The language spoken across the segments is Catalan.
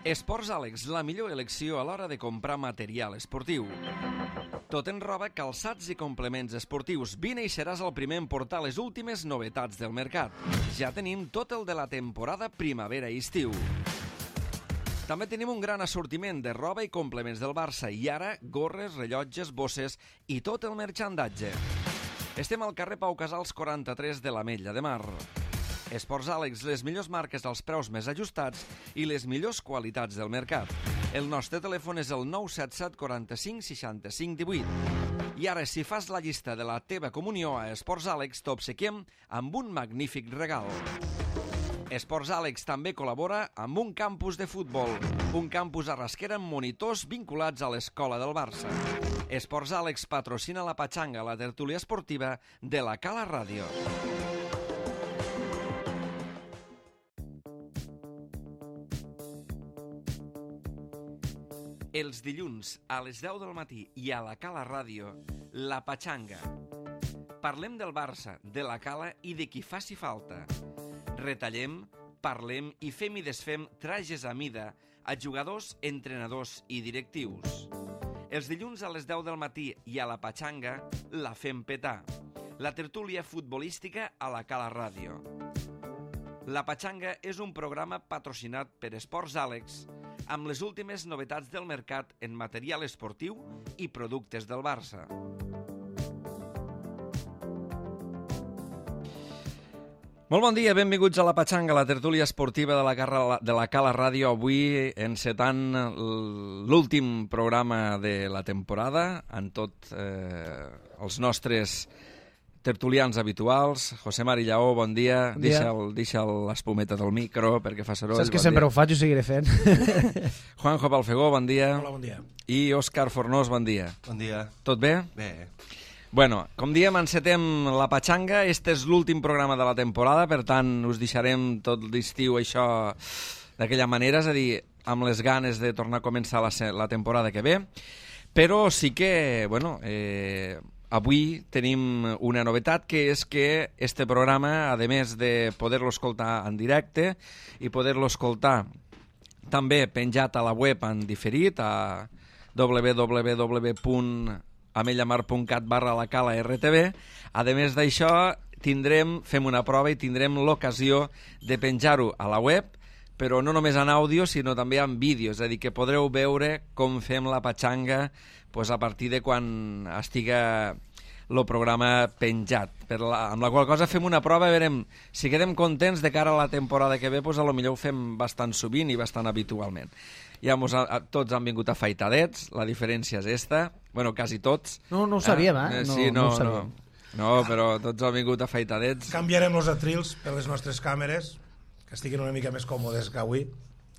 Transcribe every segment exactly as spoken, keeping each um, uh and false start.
Esports Àlex, la millor elecció a l'hora de comprar material esportiu. Tot en roba, calçats i complements esportius. Vine i seràs el primer en portar les últimes novetats del mercat. Ja tenim tot el de la temporada primavera i estiu. També tenim un gran assortiment de roba i complements del Barça i ara gorres, rellotges, bosses i tot el marxandatge. Estem al carrer Pau Casals quaranta-tres de l'Ametlla de Mar. Esports Àlex, les millors marques als preus més ajustats i les millors qualitats del mercat. El nostre telèfon és el nou set set quaranta-cinc seixanta-cinc divuit. I ara, si fas la llista de la teva comunió a Esports Àlex, t'obsequiem amb un magnífic regal. Esports Àlex també col·labora amb un campus de futbol, un campus a Rasquera amb monitors vinculats a l'escola del Barça. Esports Àlex patrocina la Patxanga, la tertúlia esportiva de la Cala Ràdio. Els dilluns a les deu del matí i a la Cala Ràdio, la Patxanga. Parlem del Barça, de la Cala i de qui faci falta. Retallem, parlem i fem i desfem trajes a mida a jugadors, entrenadors i directius. Els dilluns a les deu del matí i a la Patxanga la fem petar. La tertúlia futbolística a la Cala Ràdio. La Patxanga és un programa patrocinat per Esports Àlex amb les últimes novetats del mercat en material esportiu i productes del Barça. Molt bon dia, benvinguts a la Patxanga, la tertúlia esportiva de la, Carra, de la Cala Ràdio, avui encetant l'últim programa de la temporada, amb tots eh, els nostres tertulians habituals. José Mari Lleó, bon dia. Bon dia. Deixa'l, deixa'l l'espumeta del micro perquè fa soroll. Saps que bon sempre dia. ho faig i ho seguiré fent. Juanjo Palfegó, bon dia. Hola, bon dia. I Òscar Fornós, bon dia. Bon dia. Tot bé? Bé. Bueno, com diem, encetem la Patxanga. Este és l'últim programa de la temporada, per tant, us deixarem tot l'estiu això d'aquella manera, és a dir, amb les ganes de tornar a començar la, la temporada que ve. Però sí que, bueno, eh, avui tenim una novetat, que és que este programa, a més de poder-lo escoltar en directe i poder-lo escoltar també penjat a la web en diferit, a w w w punt amellamar punt cat barra la cala R T V. A més d'això, tindrem, fem una prova i tindrem l'ocasió de penjar-ho a la web, però no només en àudio, sinó també en vídeo, és a dir, que podreu veure com fem la Patxanga pues, a partir de quan estiga el programa penjat. Per la, amb la qual cosa fem una prova i veurem si quedem contents de cara a la temporada que ve, pues, a lo millor ho fem bastant sovint i bastant habitualment. Ja mos, a, a, tots han vingut afeitadets, la diferència és esta, bueno, quasi tots. No, no ho sabíem, eh? eh? No, Sí, no, no ho sabíem. no, no, però tots han vingut afeitadets. Canviarem els atrils per les nostres càmeres, que estiguin una mica més còmodes que avui.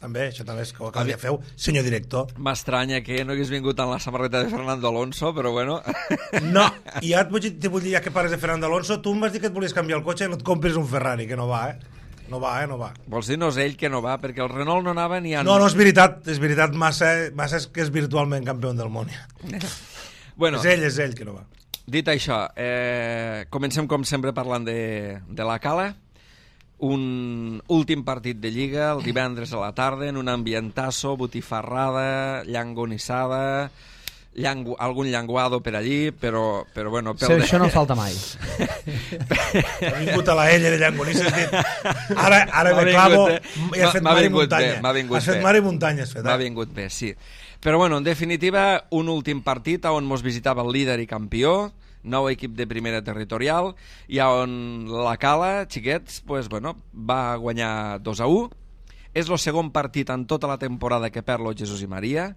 També, això també és que el dia feu, senyor director. M'estranya que no hagués vingut amb la samarreta de Fernando Alonso, però bueno. No, i ja et vull, te vull dir, ja que parles de Fernando Alonso, tu em vas dir que et volies canviar el cotxe i no et compres un Ferrari, que no va, eh? No va, eh? No va. Vols dir no és ell que no va, perquè el Renault no anava ni a... No, no és veritat, és veritat, massa, massa és que és virtualment campió del món. Bueno, és ell, és ell que no va. Dit això, eh, comencem com sempre parlant de, de la Cala. Un últim partit de Lliga, el divendres a la tarda, en un ambientasso, botifarrada, llangonissada, llangu, algun llanguado per allí, però, però bueno... Sí, de... això no falta mai. Ha vingut a la ella de llangonissa, has dit, ara, ara me clavo, i has fet mar i muntanya. Has fet mar i muntanya, has fet. M'ha vingut bé, sí. Però bueno, en definitiva, un últim partit on mos visitava el líder i campió, nou equip de primera territorial, i on la Cala, xiquets, pues, bueno, va guanyar dos a u. És el segon partit en tota la temporada que perd lo Jesús i Maria,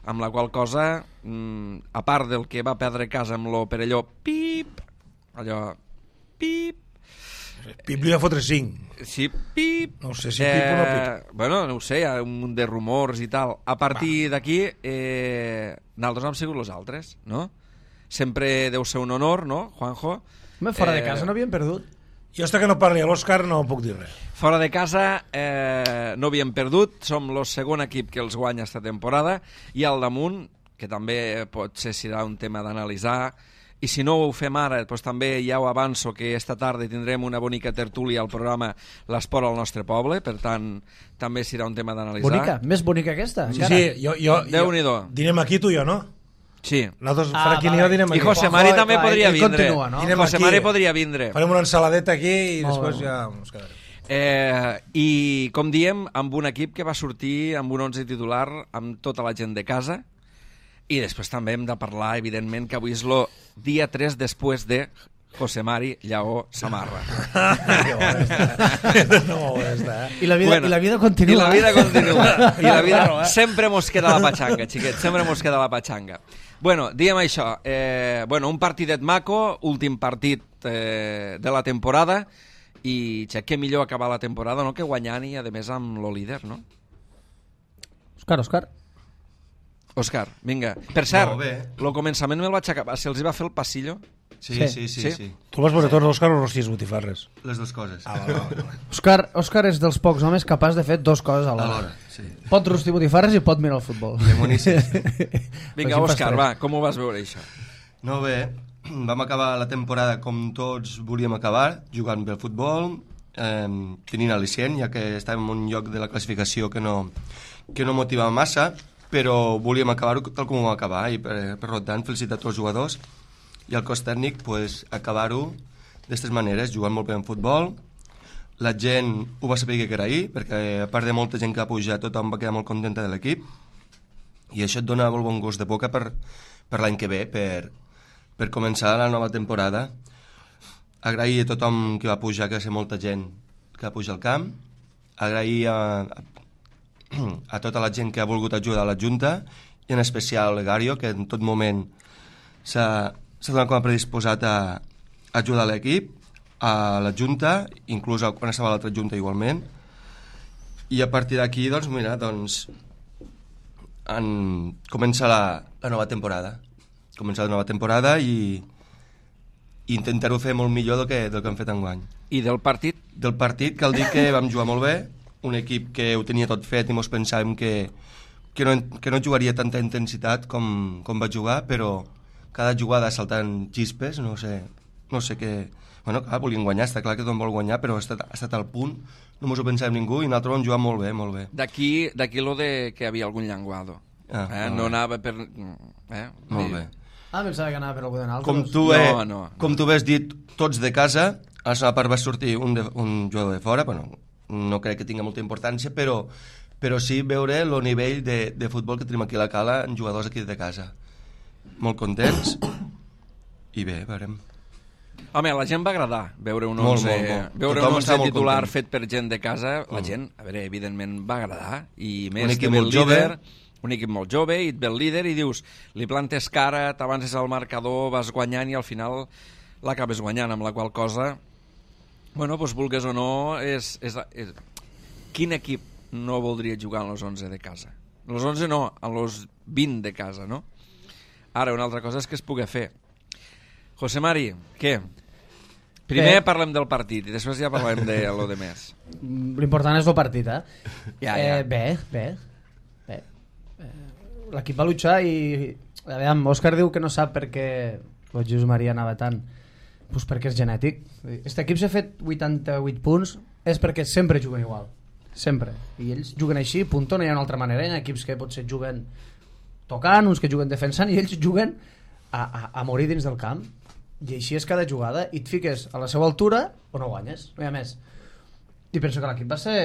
amb la qual cosa, mmm, a part del que va perdre casa amb lo Perelló, pip, allò, pip, Pip li va fotre cinc. sí, pip, No sé si pip o no pip. eh, bueno, no ho sé, hi ha un munt de rumors i tal. A partir d'aquí, eh, nosaltres hem sigut els altres, no? Sempre deu ser un honor, no, Juanjo? Home, fora de Eh, casa no havíem perdut. Jo hasta que no parli a l'Òscar no puc dir res. Fora de casa eh, no havíem perdut, som el segon equip que els guanya esta temporada, i al damunt, que també potser serà un tema d'analitzar, i si no ho fem ara, doncs també ja ho avanço que esta tarda tindrem una bonica tertúlia al programa L'Esport al nostre poble, per tant també serà un tema d'analitzar. Bonica? Més bonica aquesta? Sí, sí, jo, jo, jo dinem aquí tu i jo, no? Sí. Nosaltres, ah, Fraquín i jo dinem aquí. I José Mari també clar, podria vindre. Continua, no? José Mari podria vindre. Farem una ensaladeta aquí i després ja ens quedarem. Eh, I com diem, amb un equip que va sortir amb un onze titular amb tota la gent de casa. I després també hem de parlar, evidentment, que avui és el dia tres després de José Mari Lleó Samarra. No, I la vida, bueno, i la vida continua. I la vida continua. I la vida... Sempre mos queda la patxanga, xiquets, sempre mos queda la patxanga. Bueno, diem això, eh, bueno, un partidet maco, últim partit eh, de la temporada, i ja, què millor acabar la temporada, no?, que guanyant i, a més, amb lo líder, no? Òscar, Òscar. Òscar, vinga. Per cert, el començament me'l vaig acabar. Se'ls va fer el passillo? Sí, sí, sí. sí, sí. Tu vas veure tots, Òscar, o rostis botifarres? Les dues coses. Ah, va, va, va. Òscar, Òscar és dels pocs homes capaç de fer dos coses a l'hora. Sí. Pot rostir botifarres i pot mirar el futbol. Vinga, Òscar, va, com ho vas veure, això? No, bé, vam acabar la temporada com tots volíem acabar, jugant bé al futbol, eh, tenint al·licient, ja que estàvem en un lloc de la classificació que no, que no motivava massa, però volíem acabar-ho tal com ho vam acabar, i per, per tant felicitar tots els jugadors i el cos tècnic, pues, acabar-ho d'aquestes maneres, jugant molt bé en futbol. La gent ho va saber que era ahir, perquè a part de molta gent que va pujar, tothom va quedar molt contenta de l'equip, i això et dona molt bon gust de boca per, per l'any que ve, per, per començar la nova temporada. Agrair a tothom que va pujar, que va ser molta gent que va pujar al camp, agrair a, a a tota la gent que ha volgut ajudar a la Junta, i en especial a l'Egario, que en tot moment s'ha donat com a predisposat a ajudar l'equip, a la Junta, inclús quan estava a l'altra Junta igualment, i a partir d'aquí, doncs, mira, doncs, en... comença la, la nova temporada. Comença la nova temporada i, i intentar-ho fer molt millor del que, del que hem fet enguany. I del partit? Del partit, cal dir que vam jugar molt bé, un equip que ho tenia tot fet i mos pensàvem que, que, no, que no jugaria tanta intensitat com, com va jugar, però cada jugada saltant xispes, no sé, no sé què... Bueno, clar, volien guanyar, està clar que tothom vol guanyar, però ha estat, ha estat al punt, no mos ho pensàvem ningú, i nosaltres vam jugar molt bé, molt bé. D'aquí d'aquí lo de que hi havia algun llenguado. Ah, eh? No bé. Anava per... Eh? Molt bé. Ah, pensava que anava per algú de naltros. Com tu, eh, no, no, com tu has dit, tots de casa, a la part va sortir un, de, un jugador de fora, bueno, no crec que tingui molta importància, però, però sí veure el nivell de, de futbol que tenim aquí a la Cala en jugadors aquí de casa. Molt contents i bé, veurem. Home, la gent va agradar veure un onze, molt, molt, molt. Veure un onze titular content. Fet per gent de casa. La mm. gent, a veure, evidentment va agradar, i més que ve el líder, un equip molt jove, i et ve el líder i dius, li plantes cara, t'avances al marcador, vas guanyant i al final l'acabes guanyant, amb la qual cosa... Bueno, doncs vulgues o no, és, és, és... quin equip no voldria jugar en los onze de casa? En los onze no, en los vint de casa, no? Ara, una altra cosa és que es pugui fer. José Mari, què? Primer bé. Parlem del partit i després ja parlem de lo de més. L'important és el partit, eh? Ja, ja. Eh, bé, bé. bé. Eh, l'equip va luchar i... A veure, Òscar diu que no sap per què el José Maria anava tant. Pues perquè és genètic. Este equip s'ha fet vuitanta-vuit punts és perquè sempre juguen igual. Sempre. I ells juguen així, punto, no hi ha una altra manera. Hi ha equips que potser juguen tocant, uns que juguen defensant, i ells juguen a, a, a morir dins del camp. I així és cada jugada. I et fiques a la seva altura o no guanyes. No hi ha més. I penso que l'equip va ser...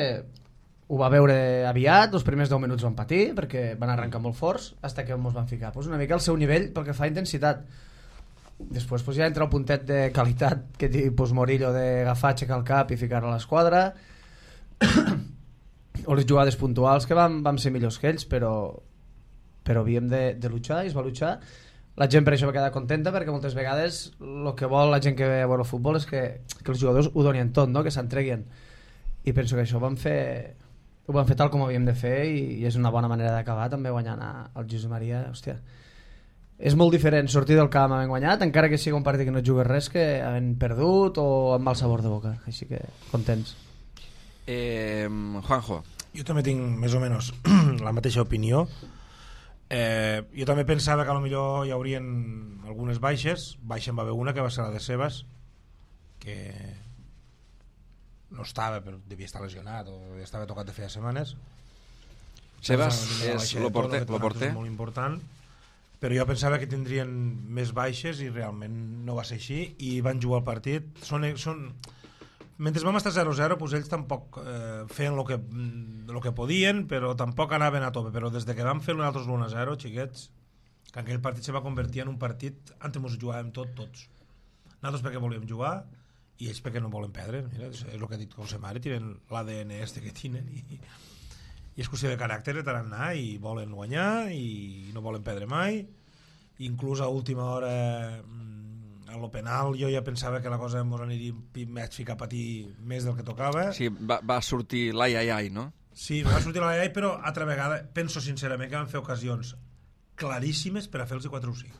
Ho va veure aviat, els primers deu minuts van patir perquè van arrencar molt forts fins que ens van ficar. Pues una mica al seu nivell pel que fa a intensitat. Després pues, ja entra el puntet de qualitat que té pues, Morillo d'agafar, aixecar el cap i ficar a l'esquadra o les jugades puntuals que vam, vam ser millors que ells, però però havíem de, de luchar i es va luchar. La gent per això va quedar contenta, perquè moltes vegades el que vol la gent que ve a veure el futbol és que, que els jugadors ho donin tot, no? Que s'entreguin, i penso que això ho vam fer ho vam fer tal com ho havíem de fer, i, i és una bona manera d'acabar també guanyant al José Maria. Hòstia, és molt diferent sortir del camp havent guanyat, encara que sigui un partit que no jugues res, que havent perdut o amb mal sabor de boca. Així que contents. eh, Juanjo. Jo també tinc més o menys la mateixa opinió. Eh, jo també pensava que potser hi haurien algunes baixes. Baixa en va haver una que va ser la de Sebas, que no estava, però devia estar lesionat o estava tocat de feia setmanes. Sebas és el porter, lo porter. Molt important, però jo pensava que tindrien més baixes i realment no va ser així i van jugar el partit. Són, són... Mentre vam estar zero zero, doncs ells tampoc eh, feien el que, lo que podien, però tampoc anaven a tope. Però des de que vam fer nosaltres l'u a zero, xiquets, que aquell partit se va convertir en un partit antes ens jugàvem tot, tots. Nosaltres perquè volíem jugar i ells perquè no volen perdre. Mira, és el que ha dit José Mari, tienen l'A D N este que tenen i, i és qüestió de caràcter de tant anar i volen guanyar i no volen perdre mai. Inclús a última hora, a lo penal, jo ja pensava que la cosa ens aniria més ficar a patir més del que tocava. Sí, va, va sortir l'ai ai ai, no? Sí, va sortir l'ai ai, però altra vegada penso sincerament que van fer ocasions claríssimes per a fer-los quatre o cinc,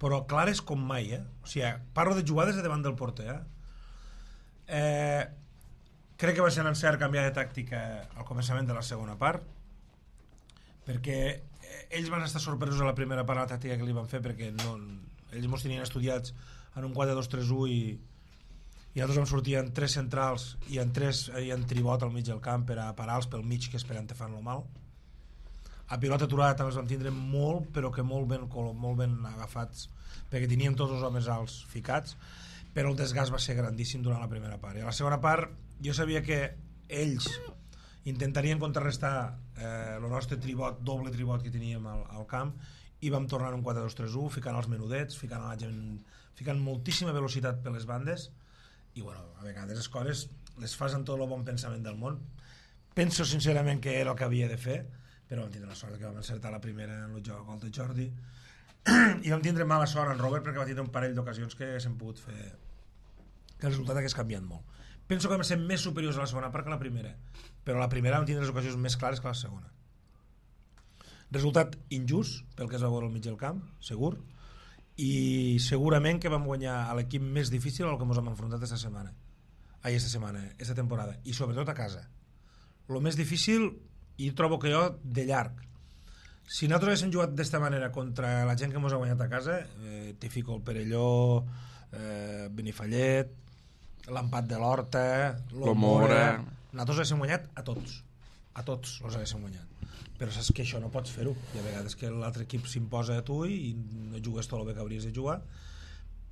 però clares com mai, eh? O sigui, parlo de jugades de davant del porter, eh? eh crec que va ser un encert canviar de tàctica al començament de la segona part, perquè ells van estar sorpresos a la primera part de la tàctica que li van fer, perquè no, ells mos tenien estudiats en un quatre dos tres u i, i nosaltres vam sortir en tres centrals i en tres i en tribot al mig del camp per a parar-los pel mig, que esperant te fan lo mal. A pilota aturada també els vam tindre molt, però que molt ben, molt ben agafats, perquè teníem tots els homes alts ficats, però el desgast va ser grandíssim durant la primera part. I a la segona part jo sabia que ells intentarien contrarrestar eh, el nostre tribot, doble tribot que teníem al, al camp, i vam tornar un quatre dos tres u, ficant els menudets, ficant, la gent, ficant moltíssima velocitat per les bandes, i bueno, a vegades les coses les fas amb tot el bon pensament del món. Penso sincerament que era el que havia de fer, però vam tindre la sort que vam encertar la primera en el joc gol de Jordi, i vam tindre mala sort en Robert perquè va tindre un parell d'ocasions que s'han pogut fer, que el resultat hagués canviat molt. Penso que vam ser més superiors a la segona part que a la primera, però a la primera vam tindre les ocasions més clares que a la segona. Resultat injust pel que es va veure al mig del camp, segur, i segurament que vam guanyar a l'equip més difícil al que ens hem enfrontat aquesta setmana, ai, aquesta setmana, aquesta temporada, i sobretot a casa. El més difícil, i trobo que jo, de llarg. Si nosaltres haguéssim jugat d'esta manera contra la gent que ens ha guanyat a casa, eh, t'hi fico el Perelló, eh, Benifallet, l'empat de l'Horta, l'Omora, nosaltres haguéssim guanyat a tots, a tots els haguéssim guanyat, però saps que això no pots fer-ho, i a vegades que l'altre equip s'imposa a tu i no jugues tot el bé que hauries de jugar,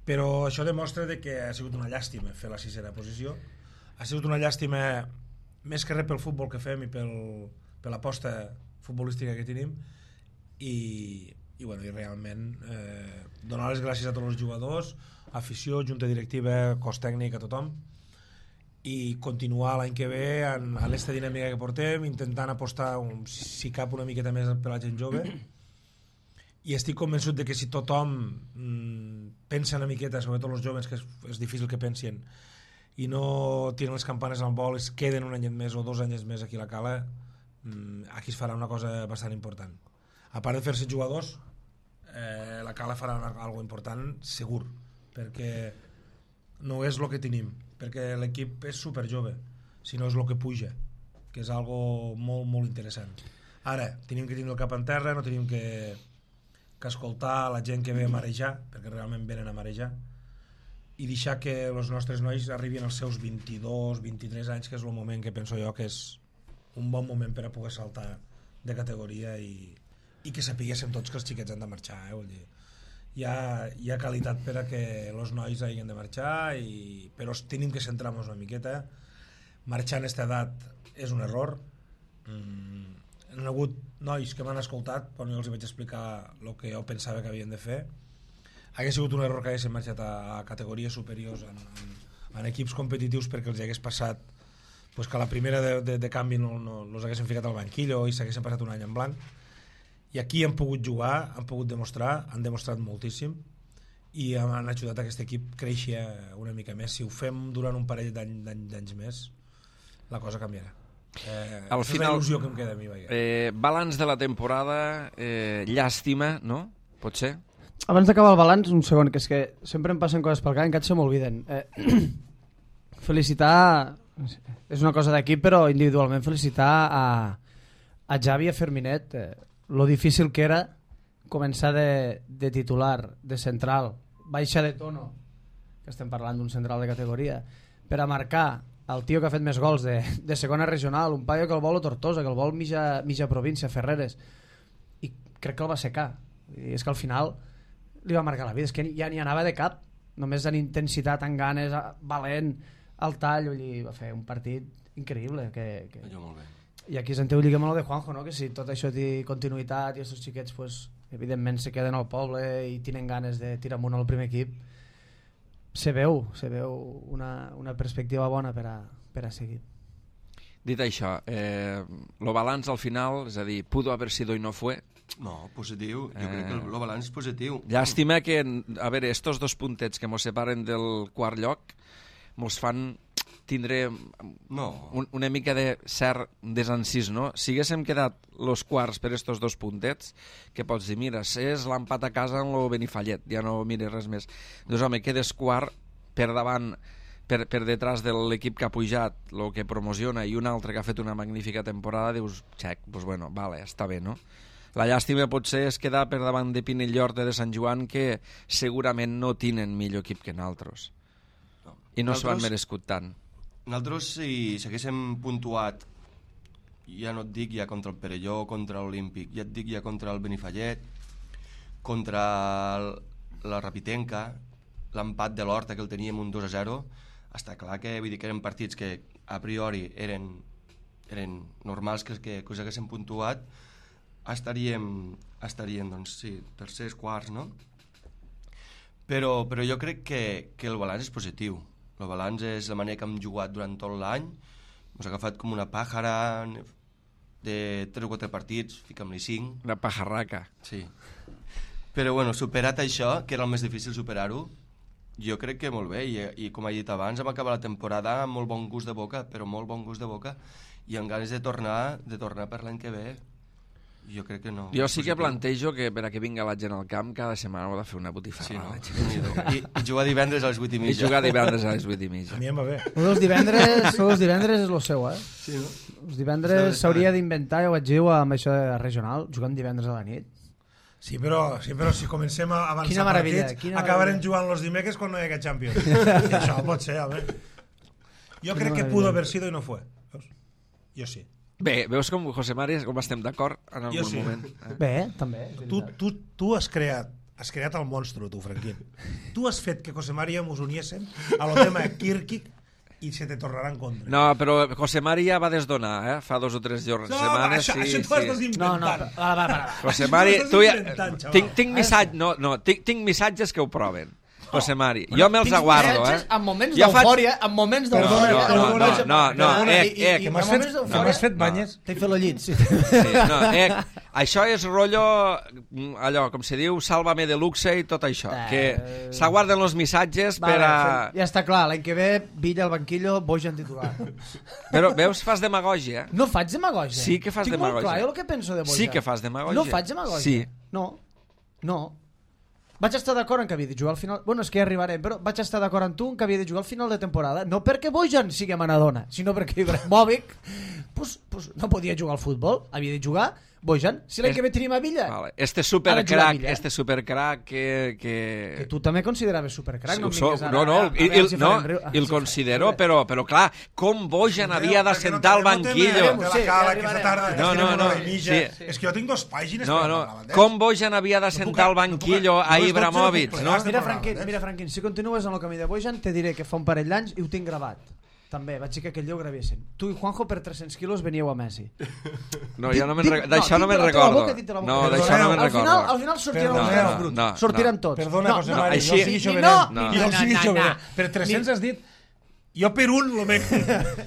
però això demostra de que ha sigut una llàstima fer la sisena posició, ha sigut una llàstima més que res pel futbol que fem i pel, per l'aposta futbolística que tenim, i, i, bueno, i realment eh, donar les gràcies a tots els jugadors, afició, junta directiva, cos tècnic, a tothom, i continuar l'any que ve en, en aquesta dinàmica que portem, intentant apostar un, si cap una miqueta més per la gent jove, i estic convençut de que si tothom mmm, pensa una miqueta, sobretot els joves, que és, és difícil que pensin, i no tiren les campanes al vol, es queden un any més o dos anys més aquí a la Cala, mmm, aquí es farà una cosa bastant important. A part de fer-se jugadors, eh, la Cala farà una, algo important segur, perquè no és el que tenim, perquè l'equip és super jove, sinó és el que puja, que és algo molt, molt interessant. Ara, tenim que tenir el cap en terra, no tenim que, que escoltar la gent que ve a marejar, perquè realment venen a marejar, i deixar que els nostres nois arribin als seus vint-i-dos, vint-i-tres anys, que és el moment que penso jo que és un bon moment per a poder saltar de categoria i, i que sapiguéssim tots que els xiquets han de marxar, eh? Vull dir, hi ha, hi ha qualitat per a que els nois hagin de marxar, i, però tenim que centrar-nos una miqueta. Marxar en aquesta edat és un error. Mm, hi ha hagut nois que m'han escoltat quan jo els vaig explicar el que jo pensava que havien de fer. Hauria sigut un error que haguessin marxat a, a categories superiors en, en, en equips competitius, perquè els hagués passat pues, que a la primera de, de, de canvi no, no, no els haguessin ficat al banquillo i s'haguessin passat un any en blanc. I aquí han pogut jugar, han pogut demostrar, han demostrat moltíssim, i han ajudat a aquest equip a créixer una mica més. Si ho fem durant un parell d'anys més, la cosa canviarà. Eh, Al final, és la il·lusió que em queda a mi. Eh, balanç de la temporada, eh, llàstima, no? Pot ser? Abans d'acabar el balanç, un segon, que és que sempre em passen coses pel cap, encara se m'olviden. Eh, felicitar, és una cosa d'equip, però individualment felicitar a, a Javi i a Ferminet, eh, lo difícil que era començar de, de titular, de central, baixa de tono, que estem parlant d'un central de categoria, per a marcar el tio que ha fet més gols de, de segona regional, un paio que el vol a Tortosa, que el vol mitja, mitja província, Ferreres, i crec que el va secar. I és que al final li va marcar la vida, és que ja n'hi anava de cap, només en intensitat, en ganes, valent, al tall, vull dir, va fer un partit increïble. Que, que... Allò molt bé. I aquí sentiu lligar amb el de Juanjo, no? Que si tot això té continuïtat i aquests xiquets, pues, evidentment se queden al poble i tenen ganes de tirar amunt al primer equip, se veu, se veu una, una perspectiva bona per a, per a seguir. Dit això, eh, lo balanç al final, és a dir, pudo haber sido y no fue. No, positiu. Jo Eh. crec que el, el balanç és positiu. Llàstima que, a veure, estos dos puntets que mos separen del quart lloc mos fan tindre No. un, una mica de cert desencís, no? Si haguéssim quedat los quarts per estos dos puntets, que pots dir, mira, és l'empat a casa en lo Benifallet, ja no mires res més. Doncs, home, quedes quart per davant, per, per detrás de l'equip que ha pujat, el que promociona, i un altre que ha fet una magnífica temporada, dius, xec, doncs bueno, vale, està bé, no? La llàstima potser és quedar per davant de Pinellorte de Sant Joan, que segurament no tenen millor equip que nosaltres. No. I no s'ho han Nosaltres- merescut tant. Nosaltres, si s'haguéssim puntuat, ja no et dic ja contra el Perelló, contra l'Olímpic, ja et dic ja contra el Benifallet, contra el, la Rapitenca, l'empat de l'Horta, que el teníem un dos a zero, està clar que, vull dir, que eren partits que a priori eren, eren normals que, que, que us haguéssim puntuat, estaríem, estaríem doncs, sí, tercers, quarts, no? Però, però jo crec que, que el balanç és positiu. El balanç és la manera que hem jugat durant tot l'any. Ens ha agafat com una pàjara de tres o quatre partits, fica'm-li cinc. Una pajarraca. Sí. Però bueno, superat això, que era el més difícil superar-ho, jo crec que molt bé. I, i com he dit abans, vam acabar la temporada amb molt bon gust de boca, però molt bon gust de boca, i amb ganes de tornar, de tornar per l'any que ve. Jo crec que no. Jo sí que positiu. plantejo que per a que vinga la gent al camp cada setmana ho ha de fer una Sí, no? botifarrada. I, I jugar divendres a les vuit i I mitja. jugar divendres a les vuit i A mitja. mi em va bé. Lo dels divendres, lo dels divendres és lo seu, eh? Sí, no? Els divendres s'hauria d'inventar, ja ho vaig dir amb això de regional, jugant divendres a la nit. Sí, però, sí, però si comencem a avançar Quina meravella, partits, quina acabarem meravella. jugant los dimecres quan no hi ha Champions. I això pot ser, home. Jo crec que meravella. pudo haver sido i no fue. Veus? Jo sí. Bé, veus com, José Mari, com estem d'acord en Jo algun sí. moment? Eh? Bé, també. és Tu, veritat. tu, tu has creat has creat el monstre, tu, Franquín. Tu has fet que José María mos uniéssim a lo tema Kirkic i se te tornarà en contra. No, però José Mari ja va desdonar, eh? Fa dos o tres jorns, No, setmanes, això, sí, això t'ho estàs sí. No, no, inventant. va, va, va, va. José Això Mari, t'ho estàs tu ja... inventant, xaval. Tinc, tinc, missatge, no, no, tinc, tinc missatges que ho proven. José Mari, jo me'ls Tinc aguardo, eh? missatges En moments Jo faig- d'eufòria, en moments d'eufòria. No, no, en no, moments- no, no, Perdona, ec, i- i- ec. i Que en m'has moments fet, d'eufòria- que m'has fet banyes. T'he fet el llit, sí. Sí, no, eh, això és rotllo, mm, allò, com se diu, sálvame de luxe i tot això, Eh. que s'aguarden els missatges per Vale, a... Ja està clar, l'any que ve, Villa al banquillo, Bojan titular. Però veus, fas demagògia. No faig demagògia. Sí que fas Tinc demagògia. molt clar jo el que penso de Bojan. Sí que fas demagògia. No faig demagògia. Sí. No, no. Vaig estar d'acord en que havia de jugar al final... Bueno, és que ja arribarem, però vaig estar d'acord amb tu en que havia de jugar al final de temporada. No perquè Bojan sigui Maradona, sinó perquè Ibrahimovic pues, pues, no podia jugar al futbol. Havia de jugar Bojan. Si l'any Es- que ve tenim a Villa. Vale. Este Ha de jugar a supercrack, Villa, eh? este supercrack que... que... Que tu també consideraves supercrack. Sí, no, ho em sóc, vinguis ara, no, no, a veure i, i, si no, farem riu- i el si considero, farem- però, però clar, com Bojan havia de sentar al banquillo. De la Sí, cala, ja que esta arribarem. tarda No, no, no, no, no, no, sí. És que jo tinc dos pàgines No, per no, parlar d'ells. com Bojan havia de No puc- sentar al no puc- banquillo no a les dotze Ibrahimovic, no puc no? plegar. Mira, Estem Franquín, parlant, eh? mira, Franquín, si continues en el camí de Bojan, te diré que fa un parell d'anys i ho tinc gravat. També, vaig dir que aquell dia ho gravessin. Tu i Juanjo per tres-cents quilos veníeu a Messi. No, jo no me'n Dic- rec- d'això no dic me'n de la teva recordo. boca, dic de la boca. No, d'això no me'n Al final, al recordo. final sortiran Perdona, els no, grans bruts. no, sortiran no. tots. Perdona, José no, Mari, així- jo sigui ni- jovenet. no, No. Jo no, sigui no, jovenet. no. Per tres-cents has dit... Jo per un lo venc...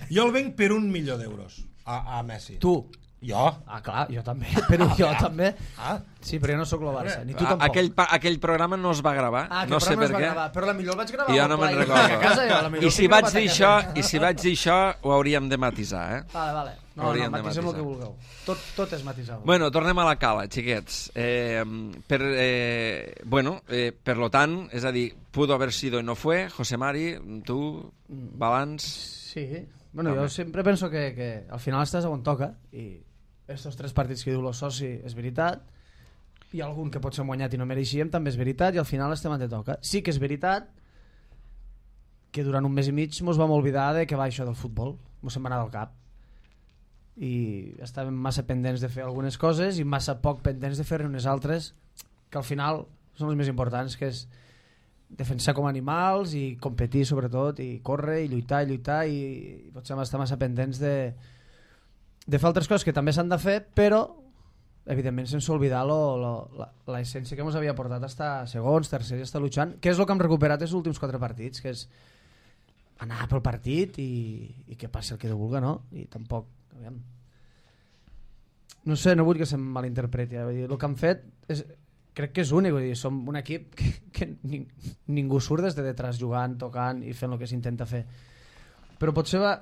Jo el venc per un milió d'euros a, a Messi. Tu. Jo? Ah, clar, jo també. Però jo també. Ah, Sí, però jo no sóc el Barça, ni tu A- tampoc. Aquell, pa- aquell programa no es va gravar, Ah, no sé per es va què. gravar, però la millor el vaig gravar. I jo al no me'n Pla i recordo. a casa, jo, la millor I el si tinc vaig gravat a dir casa. això, i si vaig dir això, ho hauríem de matisar, eh? Vale, vale. No, Hauríem no, de matisem el matisar. que vulgueu. Tot, tot és matisable. Bueno, tornem a la cala, xiquets. Eh, per, eh, bueno, eh, per lo tant, és a dir, pudo haber sido y no fue. José Mari, tu, balanç... Sí. Bueno, jo sempre penso que, que al final estàs on toca i estos tres partits que diu el soci és veritat, hi ha algun que potser hem guanyat i no mereixíem, també és veritat, i al final estem on te toca. Sí que és veritat que durant un mes i mig mos vam oblidar de que va això del futbol, mos se'n va anar del cap, i estàvem massa pendents de fer algunes coses i massa poc pendents de fer-ne unes altres que al final són les més importants, que és defensar com animals i competir sobretot, i córrer i lluitar i lluitar, i, i potser estar massa pendents de, de fer altres coses que també s'han de fer, però evidentment sense oblidar l'essència que ens havia portat a estar segons, tercers i estar luchant, que és el que hem recuperat els últims quatre partits, que és anar pel partit i, i que passi el que Déu vulga, no? I tampoc, aviam, no sé, no vull que se'm malinterpreti, eh? Vull dir, el que han fet és, crec que és únic, vull dir, som un equip que, que ning, ningú surt des de detrás jugant, tocant i fent el que s'intenta fer, però potser va,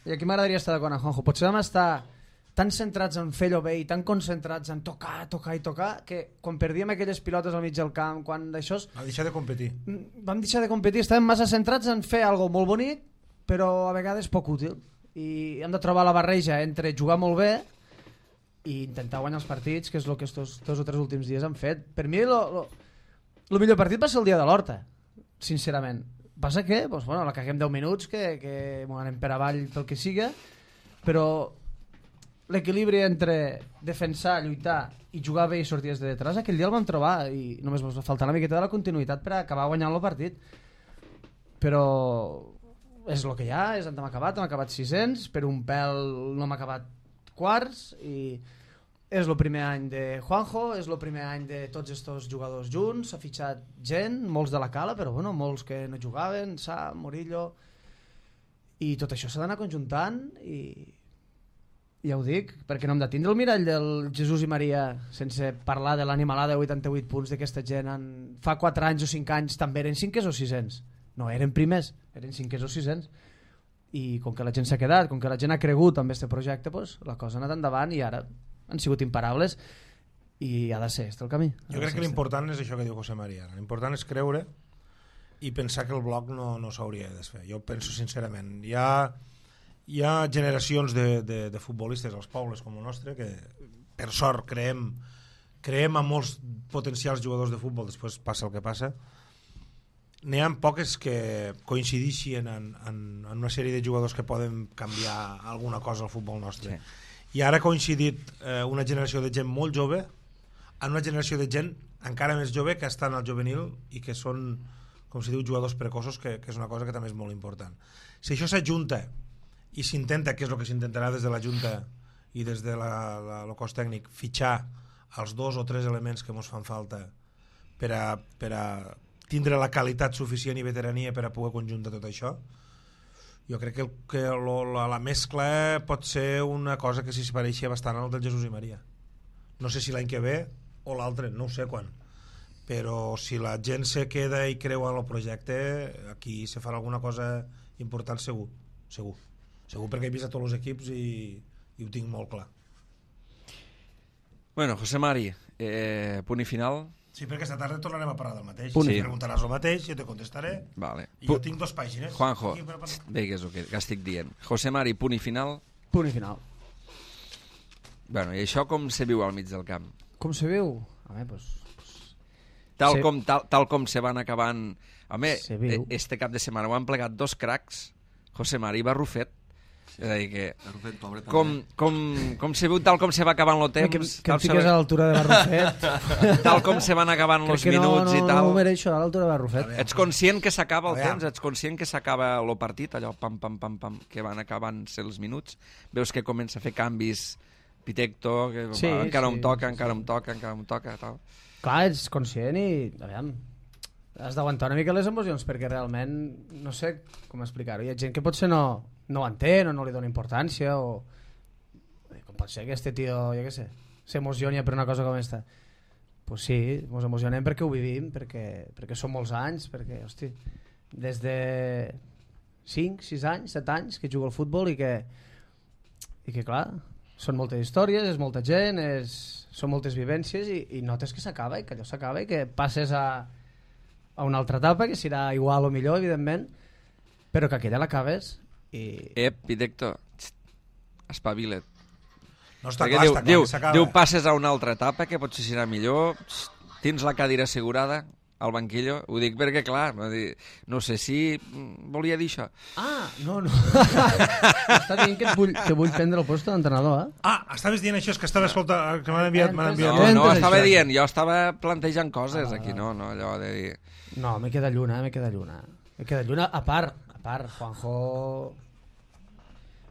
i aquí m'agradaria estar d'acord amb Juanjo, potser vam estar tan centrats en fer-ho bé i tan concentrats en tocar, tocar i tocar, que quan perdíem aquelles pilotes al mig del camp, quan d'això... Va deixar de competir. Vam deixar de competir, estàvem massa centrats en fer algo molt bonic, però a vegades poc útil. I hem de trobar la barreja entre jugar molt bé i intentar guanyar els partits, que és el que estos dos o tres últims dies han fet. Per mi, el millor partit va ser el dia de l'Horta, sincerament. Passa que, doncs, bueno, la caguem deu minuts, que, que m'ho anem per avall pel que siga, però l'equilibri entre defensar, lluitar i jugar bé i sortir des de detrás, aquell dia el vam trobar i només ens va faltar una miqueta de la continuïtat per acabar guanyant el partit, però és el que hi ha, és on hem acabat, hem acabat sis-cents, per un pèl no hem acabat quarts, i és el primer any de Juanjo, és el primer any de tots estos jugadors junts, s'ha fitxat gent, molts de la cala, però bueno, molts que no jugaven, Sa, Murillo, i tot això s'ha d'anar conjuntant, i ja ho dic, perquè no hem de tindre el mirall del Jesús i Maria sense parlar de l'animalada de vuitanta-vuit punts d'aquesta gent. En... fa quatre anys o cinc anys també eren cinquers o sisens, no eren primers, eren cinquers o sisens, i com que la gent s'ha quedat, com que la gent ha cregut amb aquest projecte, pues, la cosa ha anat endavant i ara han sigut imparables i ha de ser este el camí. Jo crec que l'important és això que diu José María, l'important és creure i pensar que el bloc no, no s'hauria de desfer. Jo penso sincerament, hi ha Hi ha generacions de, de, de futbolistes als pobles com el nostre que per sort creem, creem a molts potencials jugadors de futbol, després passa el que passa. N'hi ha poques que coincideixen en, en, en una sèrie de jugadors que poden canviar alguna cosa al futbol nostre. Sí. I ara ha coincidit eh, una generació de gent molt jove en una generació de gent encara més jove que estan al juvenil i que són, com se diu, jugadors precoços, que, que és una cosa que també és molt important. Si això s'ajunta i s'intenta, que és el que s'intentarà des de la Junta i des de la, la, el cos tècnic, fitxar els dos o tres elements que ens fan falta per a, per a tindre la qualitat suficient i veterania per a poder conjuntar tot això, jo crec que, el, que lo, la, la mescla pot ser una cosa que s'hi pareixia bastant al del Jesús i Maria. No sé si l'any que ve o l'altre, no ho sé quan, però si la gent se queda i creu en el projecte, aquí se farà alguna cosa important segur, segur. Segur, perquè he vist a tots els equips i, i ho tinc molt clar. Bueno, José Mari, eh, punt i final. Sí, perquè esta tarda tornarem a parlar del mateix. Punt. Si Sí. preguntaràs el mateix, jo te contestaré. Vale. I jo tinc dos pàgines. Juanjo, Aquí, per- per- digues el que, que estic dient. José Mari, punt i final. Punt i final. Bueno, i això com se viu al mig del camp? Com se viu? A veure, pues, Tal, Se- com, tal, tal com se van acabant... Home, Se viu. eh, este cap de setmana ho han plegat dos cracs, José Mari i Barrufet. És a dir que... Barrufet, pobre, també. Com, com, com se viu tal com se va acabant el temps, que, que tal, em fiques se, a l'altura de Barrufet. tal com se van acabant Crec els que no, minuts no, i tal. no ho mereixo a l'altura de Barrufet. Ets conscient que s'acaba el Aviam. temps, ets conscient que s'acaba el partit, allò pam, pam, pam, pam, que van acabant-se els minuts. Veus que comença a fer canvis Pitecto, que Sí, va, encara sí, em toca, sí, encara sí. em toca, encara em toca, tal. Clar, ets conscient i, aviam, has d'aguantar una mica les emocions, perquè realment, no sé com explicar-ho, hi ha gent que potser no, no ho entén o no li dona importància, o com pot ser que este tio, jo què sé, s'emocioni per una cosa com esta. Pues sí, ens emocionem perquè ho vivim, perquè, perquè són molts anys, perquè, hosti, des de cinc, sis anys, set anys que jugo al futbol i que, i que clar, són moltes històries, és molta gent, és, són moltes vivències i, i notes que s'acaba i que allò s'acaba i que passes a, a una altra etapa que serà igual o millor, evidentment, però que aquella l'acabes i... Ep, Pitecto, espavila't. No està Perquè clar, diu, està clar diu, que s'acaba. diu, passes a una altra etapa que potser serà millor, tens la cadira assegurada al banquillo, ho dic perquè, clar, no sé si volia dir això. Ah, no, no. Està dient que, vull, que vull prendre el post d'entrenador, eh? Ah, estaves dient això, és que estava escoltant, que m'han enviat... m'han enviat... No, no, Entes estava això. dient, jo estava plantejant coses Ah, aquí, no, no, allò de dir... No, me queda lluna, me queda lluna. Me queda lluna, a part, a part, Juanjo...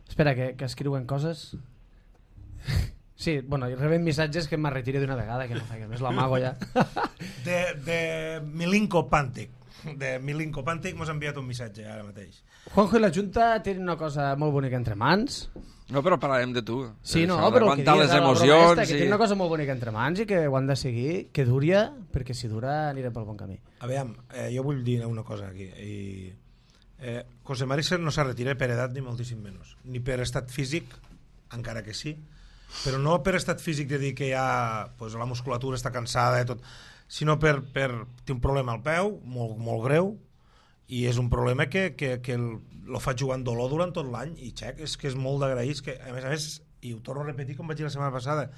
Espera, que, que escriuen coses... Sí, bueno, i reben missatges que me'n retiri d'una vegada, que no faig més, l'amago ja. De, de Milinko Pantic. De Milinko Pantic mos ha enviat un missatge ara mateix. Juanjo i la Junta tenen una cosa molt bonica entre mans. No, però parlarem de tu. Sí, no, Això, però el que d'aguantar dius les de la broma emocions... esta, que i... tenen una cosa molt bonica entre mans i que ho han de seguir, que duria, perquè si dura anirem pel bon camí. Aviam, eh, jo vull dir una cosa aquí. I, eh, José Mari no s'ha retirat per edat ni moltíssim menys, ni per estat físic, encara que sí, però no per estat físic de dir que ja pues, la musculatura està cansada i tot, sinó per, per té un problema al peu molt, molt greu, i és un problema que, que, que el, lo fa jugant dolor durant tot l'any, i xec, és que és molt d'agrair, que a més a més, i ho torno a repetir com vaig dir la setmana passada,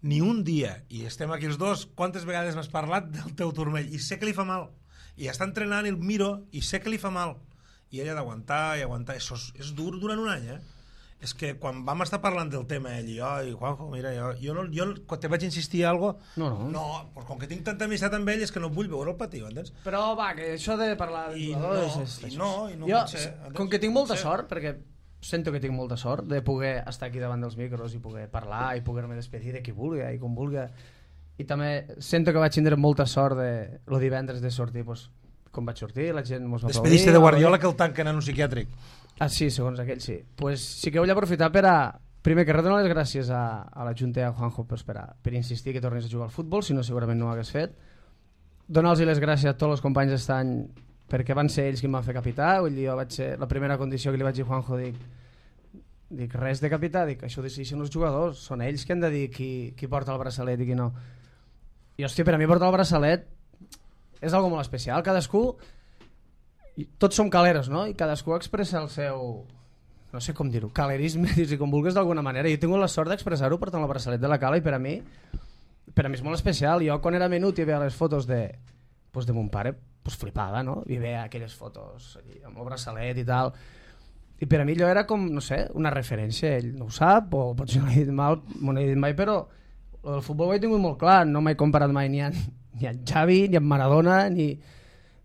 ni un dia, i estem aquí els dos, quantes vegades m'has parlat del teu turmell, i sé que li fa mal, i està entrenant i el miro, i sé que li fa mal, i ella ha d'aguantar i aguantar, això és, és dur durant un any, eh? És que quan vam estar parlant del tema ell i jo, i Juanjo, mira, jo, jo, no, jo quan te vaig insistir a algo, No, no. no, pues com que tinc tanta amistat amb ell és que no vull veure el patir, entens? Però va, que això de parlar I d'entrenadors no, és, és, i no, i no jo, pot ser, entens? com que tinc No molta pot ser. sort, perquè sento que tinc molta sort de poder estar aquí davant dels micros i poder parlar i poder-me despedir de qui vulgui i com vulgui, i també sento que vaig tindre molta sort de lo divendres de sortir, pues, com vaig sortir, la gent mos va aplaudir. Despediste de Guardiola que el tanquen en un psiquiàtric. Ah, sí, segons aquell, sí. Pues sí que vull aprofitar per a... Primer que res, donar les gràcies a, a la Junta i a Juanjo pues, per, a, per insistir que tornis a jugar al futbol, si no segurament no ho hagués fet. Donar-los les gràcies a tots els companys d'aquest any perquè van ser ells qui em van fer capità. Vull dir, jo vaig ser la primera condició que li vaig dir a Juanjo, dic, dic res de capità, dic, això ho decideixen els jugadors, són ells que han de dir qui, qui porta el braçalet i qui no. I hòstia, per a mi portar el braçalet és algo molt especial, cadascú... I tots som caleros, no? I cadascú expressa el seu, no sé com dir-ho, calerisme, si com vulguis d'alguna manera. Jo he tingut la sort d'expressar-ho portant el braçalet de la cala, i per a mi per a mi és molt especial. Jo quan era menut i veia les fotos de, pues, de mon pare, pues, flipava, no? I veia aquelles fotos allí, amb el braçalet i tal, i per a mi allò era com, no sé, una referència. Ell no ho sap, o potser no l'he dit mal, m'ho he dit mai, però el futbol ho he tingut molt clar. No m'he comparat mai ni amb, ni amb Xavi, ni amb Maradona, ni...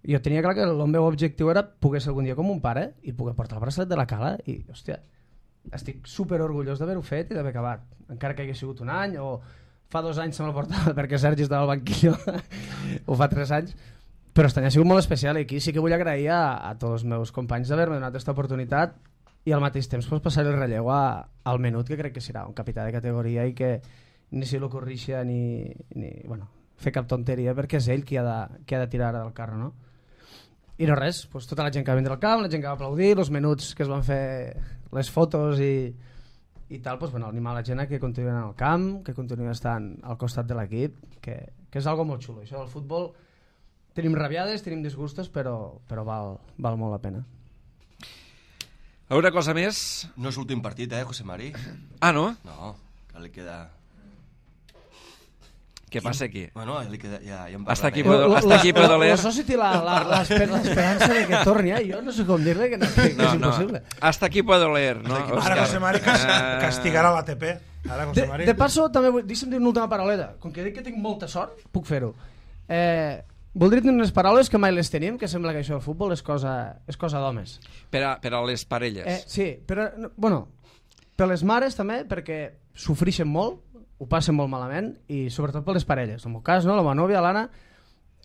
Jo tenia clar que el meu objectiu era poder ser algun dia com un pare i poder portar el braçalet de la cala, i hòstia, estic super orgullós d'haver-ho fet i d'haver acabat, encara que hagi sigut un any o fa dos anys se me'l portava perquè Sergi estava al banquillo o fa tres anys, però este any ha sigut molt especial, i aquí sí que vull agrair a, a tots els meus companys d'haver-me donat aquesta oportunitat i al mateix temps pues, passar el relleu a, al menut, que crec que serà un capità de categoria i que ni se l'ocorrixa ni, ni bueno, fer cap tonteria, perquè és ell qui ha de, qui ha de tirar del carro, no? I no res, pues, tota la gent que va vindre al camp, la gent que va aplaudir, els menuts que es van fer les fotos i, i tal, pues, bueno, animar la gent a que continuï al camp, que continuï estant al costat de l'equip, que, que és algo molt xulo. Això del futbol, tenim rabiades, tenim disgustos, però, però val, val molt la pena. Alguna cosa més? No és l'últim partit, eh, José Mari? Ah, no? No, que li queda... Què passa aquí? Bueno, li queda... Ja, ja en Hasta aquí parlarem. puedo, hasta aquí puedo La, leer. la soci té la- la- l'esper- l'esperança de que torni, eh? Jo no sé com dir-li que, no, que, que No, és no. impossible. Hasta aquí puedo leer, no? Ara Òscar? José Mari cas Eh, castigarà l'A T P. Ara José De, Mari... de passo, també vull, deixa'm dir una última paroleta. Com que dic que tinc molta sort, puc fer-ho. Eh, voldria dir unes paraules que mai les tenim, que sembla que això del futbol és cosa, és cosa d'homes. Per a, per a les parelles. Eh, sí, però, no, bueno, per les mares també, perquè sofrixen molt, ho passen molt malament, i sobretot per les parelles. En el meu cas, no? La meva nòvia, l'Anna,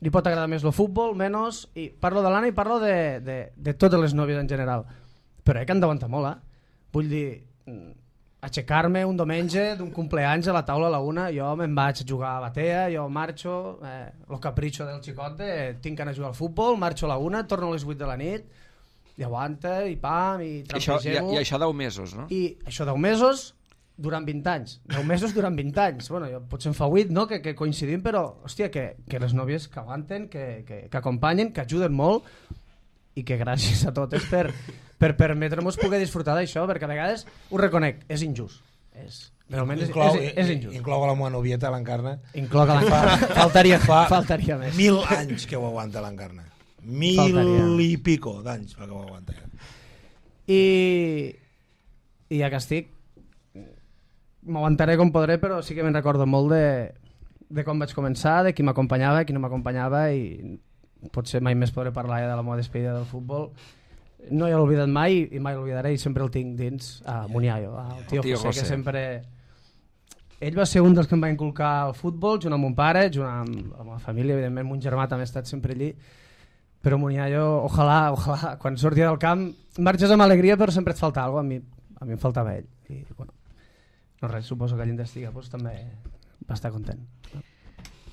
li pot agradar més el futbol, menys, i parlo de l'Anna i parlo de, de, de totes les nòvies en general. Però he que han d'aguantar molt, eh? Vull dir, aixecar-me un diumenge d'un compleanys a la taula a la una, jo me'n vaig a jugar a batea, jo marxo, eh, el capritxo del xicot de tinc ganes de jugar al futbol, marxo a la una, torno a les vuit de la nit, i aguanta, i pam, i Això, i, trampegem-ho. I això deu mesos, no? I això deu mesos durant vint anys. deu mesos durant vint anys. Bueno, jo, potser en fa vuit, no?, que, que coincidim, però, hòstia, que, que les nòvies que aguanten, que, que, que acompanyen, que ajuden molt, i que gràcies a totes per, per permetre-nos poder disfrutar d'això, perquè a vegades, ho reconec, és injust. És Però almenys és, Inclou, és, és injust. inclou la meva novieta, l'Encarna. Inclou que l'encarna. Faltaria, Fa faltaria més. Mil anys que ho aguanta l'Encarna. Mil Faltaria. i pico d'anys que ho aguanta. I, i ja que estic, m'aguantaré com podré, però sí que me'n recordo molt de, de com vaig començar, de qui m'acompanyava, qui no m'acompanyava, i potser mai més podré parlar ja de la meva despedida del futbol. No he oblidat mai i mai l'oblidaré, i sempre el tinc dins a Muniayo, al tio, tio José, José. que sempre... Ell va ser un dels que em va inculcar el futbol, junt amb mon pare, junt amb, amb la família, evidentment mon germà també ha estat sempre allí, però Muniayo, ojalà, ojalà, quan sortia del camp marxes amb alegria, però sempre et falta alguna cosa, a mi, a mi em faltava ell, i bueno, no res, suposo que ell investiga, doncs també va estar content.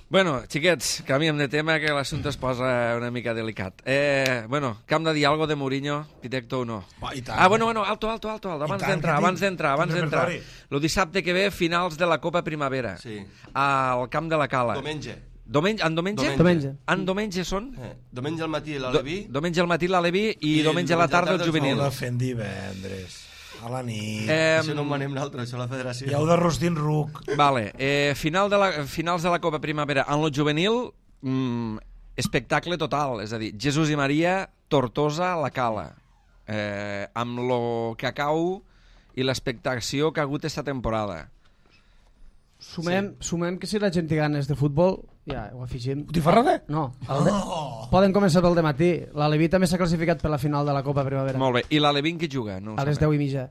Bueno, xiquets, canviem de tema, que l'assumpte es posa una mica delicat. Eh, bueno, que hem de dir alguna de Mourinho, directo o no? Va, i tant. Ah, bueno, bueno, alto, alto, alto, alto. abans tant, d'entrar, que abans tinc- d'entrar, abans tinc d'entrar. repertori. El dissabte que ve, finals de la Copa Primavera, Sí. al camp de la Cala. Diumenge. Diumenge, en diumenge? Diumenge. En diumenge són? Eh, diumenge al matí Do, l'Aleví. diumenge al matí l'Aleví i, I diumenge a la tarda el Heu juvenil. de fer en divendres, a la nit. Eh, Això no ho manem nosaltres, això la federació. I heu de rostir en ruc. Vale, eh, final de la, finals de la Copa Primavera. En lo juvenil, mm, espectacle total, és a dir, Jesús i Maria, Tortosa, la Cala. Eh, amb lo cacau i l'expectació que ha hagut esta temporada. Sumem, sí. sumem que si la gent té ganes de futbol, ja ho afegim. Botifarrada? No, el de... Oh! poden començar pel dematí. L'Aleví també s'ha classificat per la final de la Copa Primavera. Molt bé, i l'Alevín qui juga? No ho A les sabem. deu i mitja.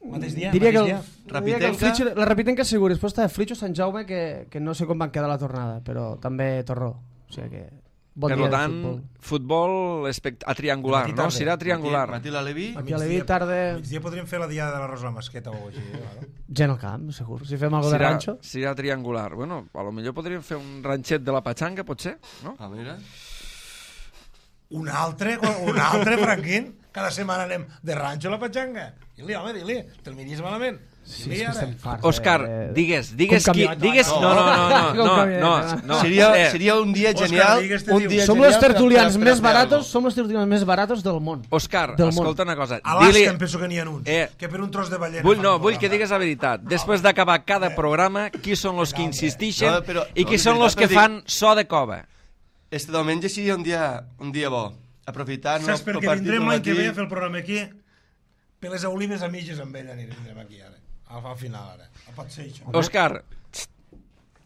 Mateix dia? Diria que, mateix el, dia? diria que el Rapitenca? Flitxo, la Rapitenca segur, després està Flitxo Sant Jaume, que, que no sé com van quedar la tornada, però també Torró. O sigui que bon Per dia tant, de futbol. futbol espect... a triangular, Matí no? tarda. Serà triangular. Matí, matí l'Aleví. Aquí a Leví, tarda, A migdia podríem fer la diada de l'arròs a la masqueta o així. Vale? gent al camp, segur. Si fem alguna de Serà, ranxo. serà triangular. Bueno, a lo millor podríem fer un ranxet de la Patxanga, potser, no? Ah, mira. Un altre, un altre, Franquín. Cada setmana anem de ranxo a la patxanga. Dili, home, dili. Te'l miris malament. Sí, Dili és que ara. estem farts. Òscar, eh, digues, digues com qui... camioneta, Digues... no. No, no, no, no, Com no, camioneta, no, no. no. Seria, Eh, seria un dia Òscar, genial. digues, te Un diu. dia Som genial los per- tertulians per- per més fer baratos, algo. som los tertulians més baratos del món. Òscar, Del món. escolta una cosa. A l'Asca Dili... em penso que n'hi ha uns. Eh, que per un tros de ballena... Vull, fan no, un vull que programa. digues la veritat. Després d'acabar cada programa, qui són els que insistixen No, però- i qui no, són és els que veritat, fan so de cova. Este diumenge seria un dia, un dia bo. Aprofitant Saps per el què partit vindrem del l'any que matí. ve a fer el programa aquí? Per les olives a mitges amb ell anirem vindrem aquí ara. Al, al final ara. No pot ser això. Òscar, txt,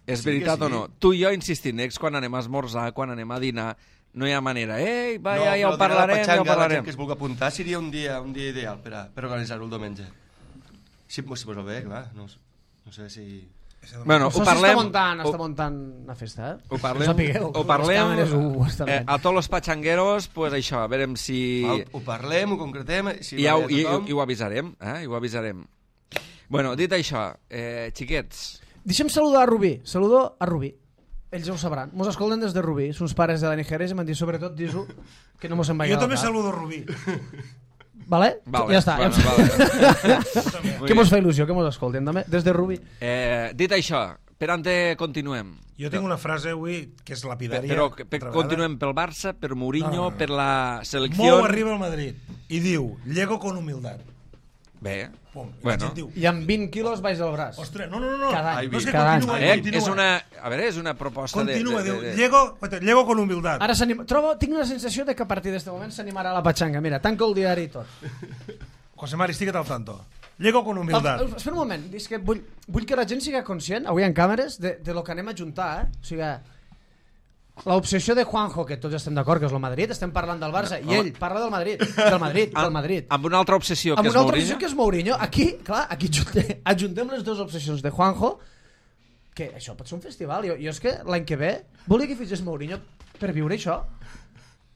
és Sí que veritat sí. o no? Tu i jo insistim, ex, quan anem a esmorzar, quan anem a dinar, no hi ha manera. Ei, va, No, ja, ja però ho parlarem, dinar a la ja ho Patxanga, la gent parlarem. que es vulgui apuntar seria un dia, un dia ideal per, a, per organitzar-ho el diumenge. Si, si posa bé, clar. No, no sé si... Bueno, Això ho parlem... s'està muntant, ho- està muntant una festa, eh? Ho parlem, No sapigueu, ho les parlem càmeres ho, ho estan eh, veient. a tots els patxangueros, pues això, a veure si... Val, ho parlem, ho concretem... Si I, ja, va ho- bé i, a tothom. i ho avisarem, eh? I ho avisarem. Bueno, dit això, eh, xiquets, Deixem saludar a Rubí. Saludo a Rubí. Ells ja ho sabran. Mos escolten des de Rubí. Sons pares de la Nigeria i m'han dit sobretot dis-ho que no mos en Jo vaiga també al cap. saludo Rubí. Vale? Vale, ja està. bueno, ja vale. que mos fa il·lusió, que mos escolten també. Des de Rubí. eh, dit això, per on te continuem? Jo tinc una frase avui que és Per, lapidària. però que- per, altra vegada. continuem pel Barça, per Mourinho, No, no, no. per la Mou selecció... arriba al Madrid i diu, llego con humildad. Bé, Pum. I la bueno. gent diu, I amb vint quilos baix del braç. ostres, no, no, no. no. Cada any, no és que cada any. continua, Eh, continua. és una, a veure, és una proposta Continua, de... de, diu, de, de... llego, llego con humildad. Ara s'anima... Trobo, tinc la sensació de que a partir d'aquest moment s'animarà la patxanga. Mira, tanco el diari i tot. José Mari, estigue't al tanto. Llego con humildad. El, espera un moment, és que vull, vull que la gent siga conscient, avui en càmeres, de, de lo que anem a juntar, eh? O sigui, l'obsessió de Juanjo, que tots estem d'acord que és el Madrid, estem parlant del Barça, i ell parla del Madrid, del Madrid, del Madrid. Amb una altra obsessió, Amb que és una altra Mourinho. obsessió que és Mourinho. Aquí, clar, aquí ajuntem, ajuntem les dues obsessions de Juanjo, que això pot ser un festival. Jo, jo és que l'any que ve volia que fitxés Mourinho per viure això.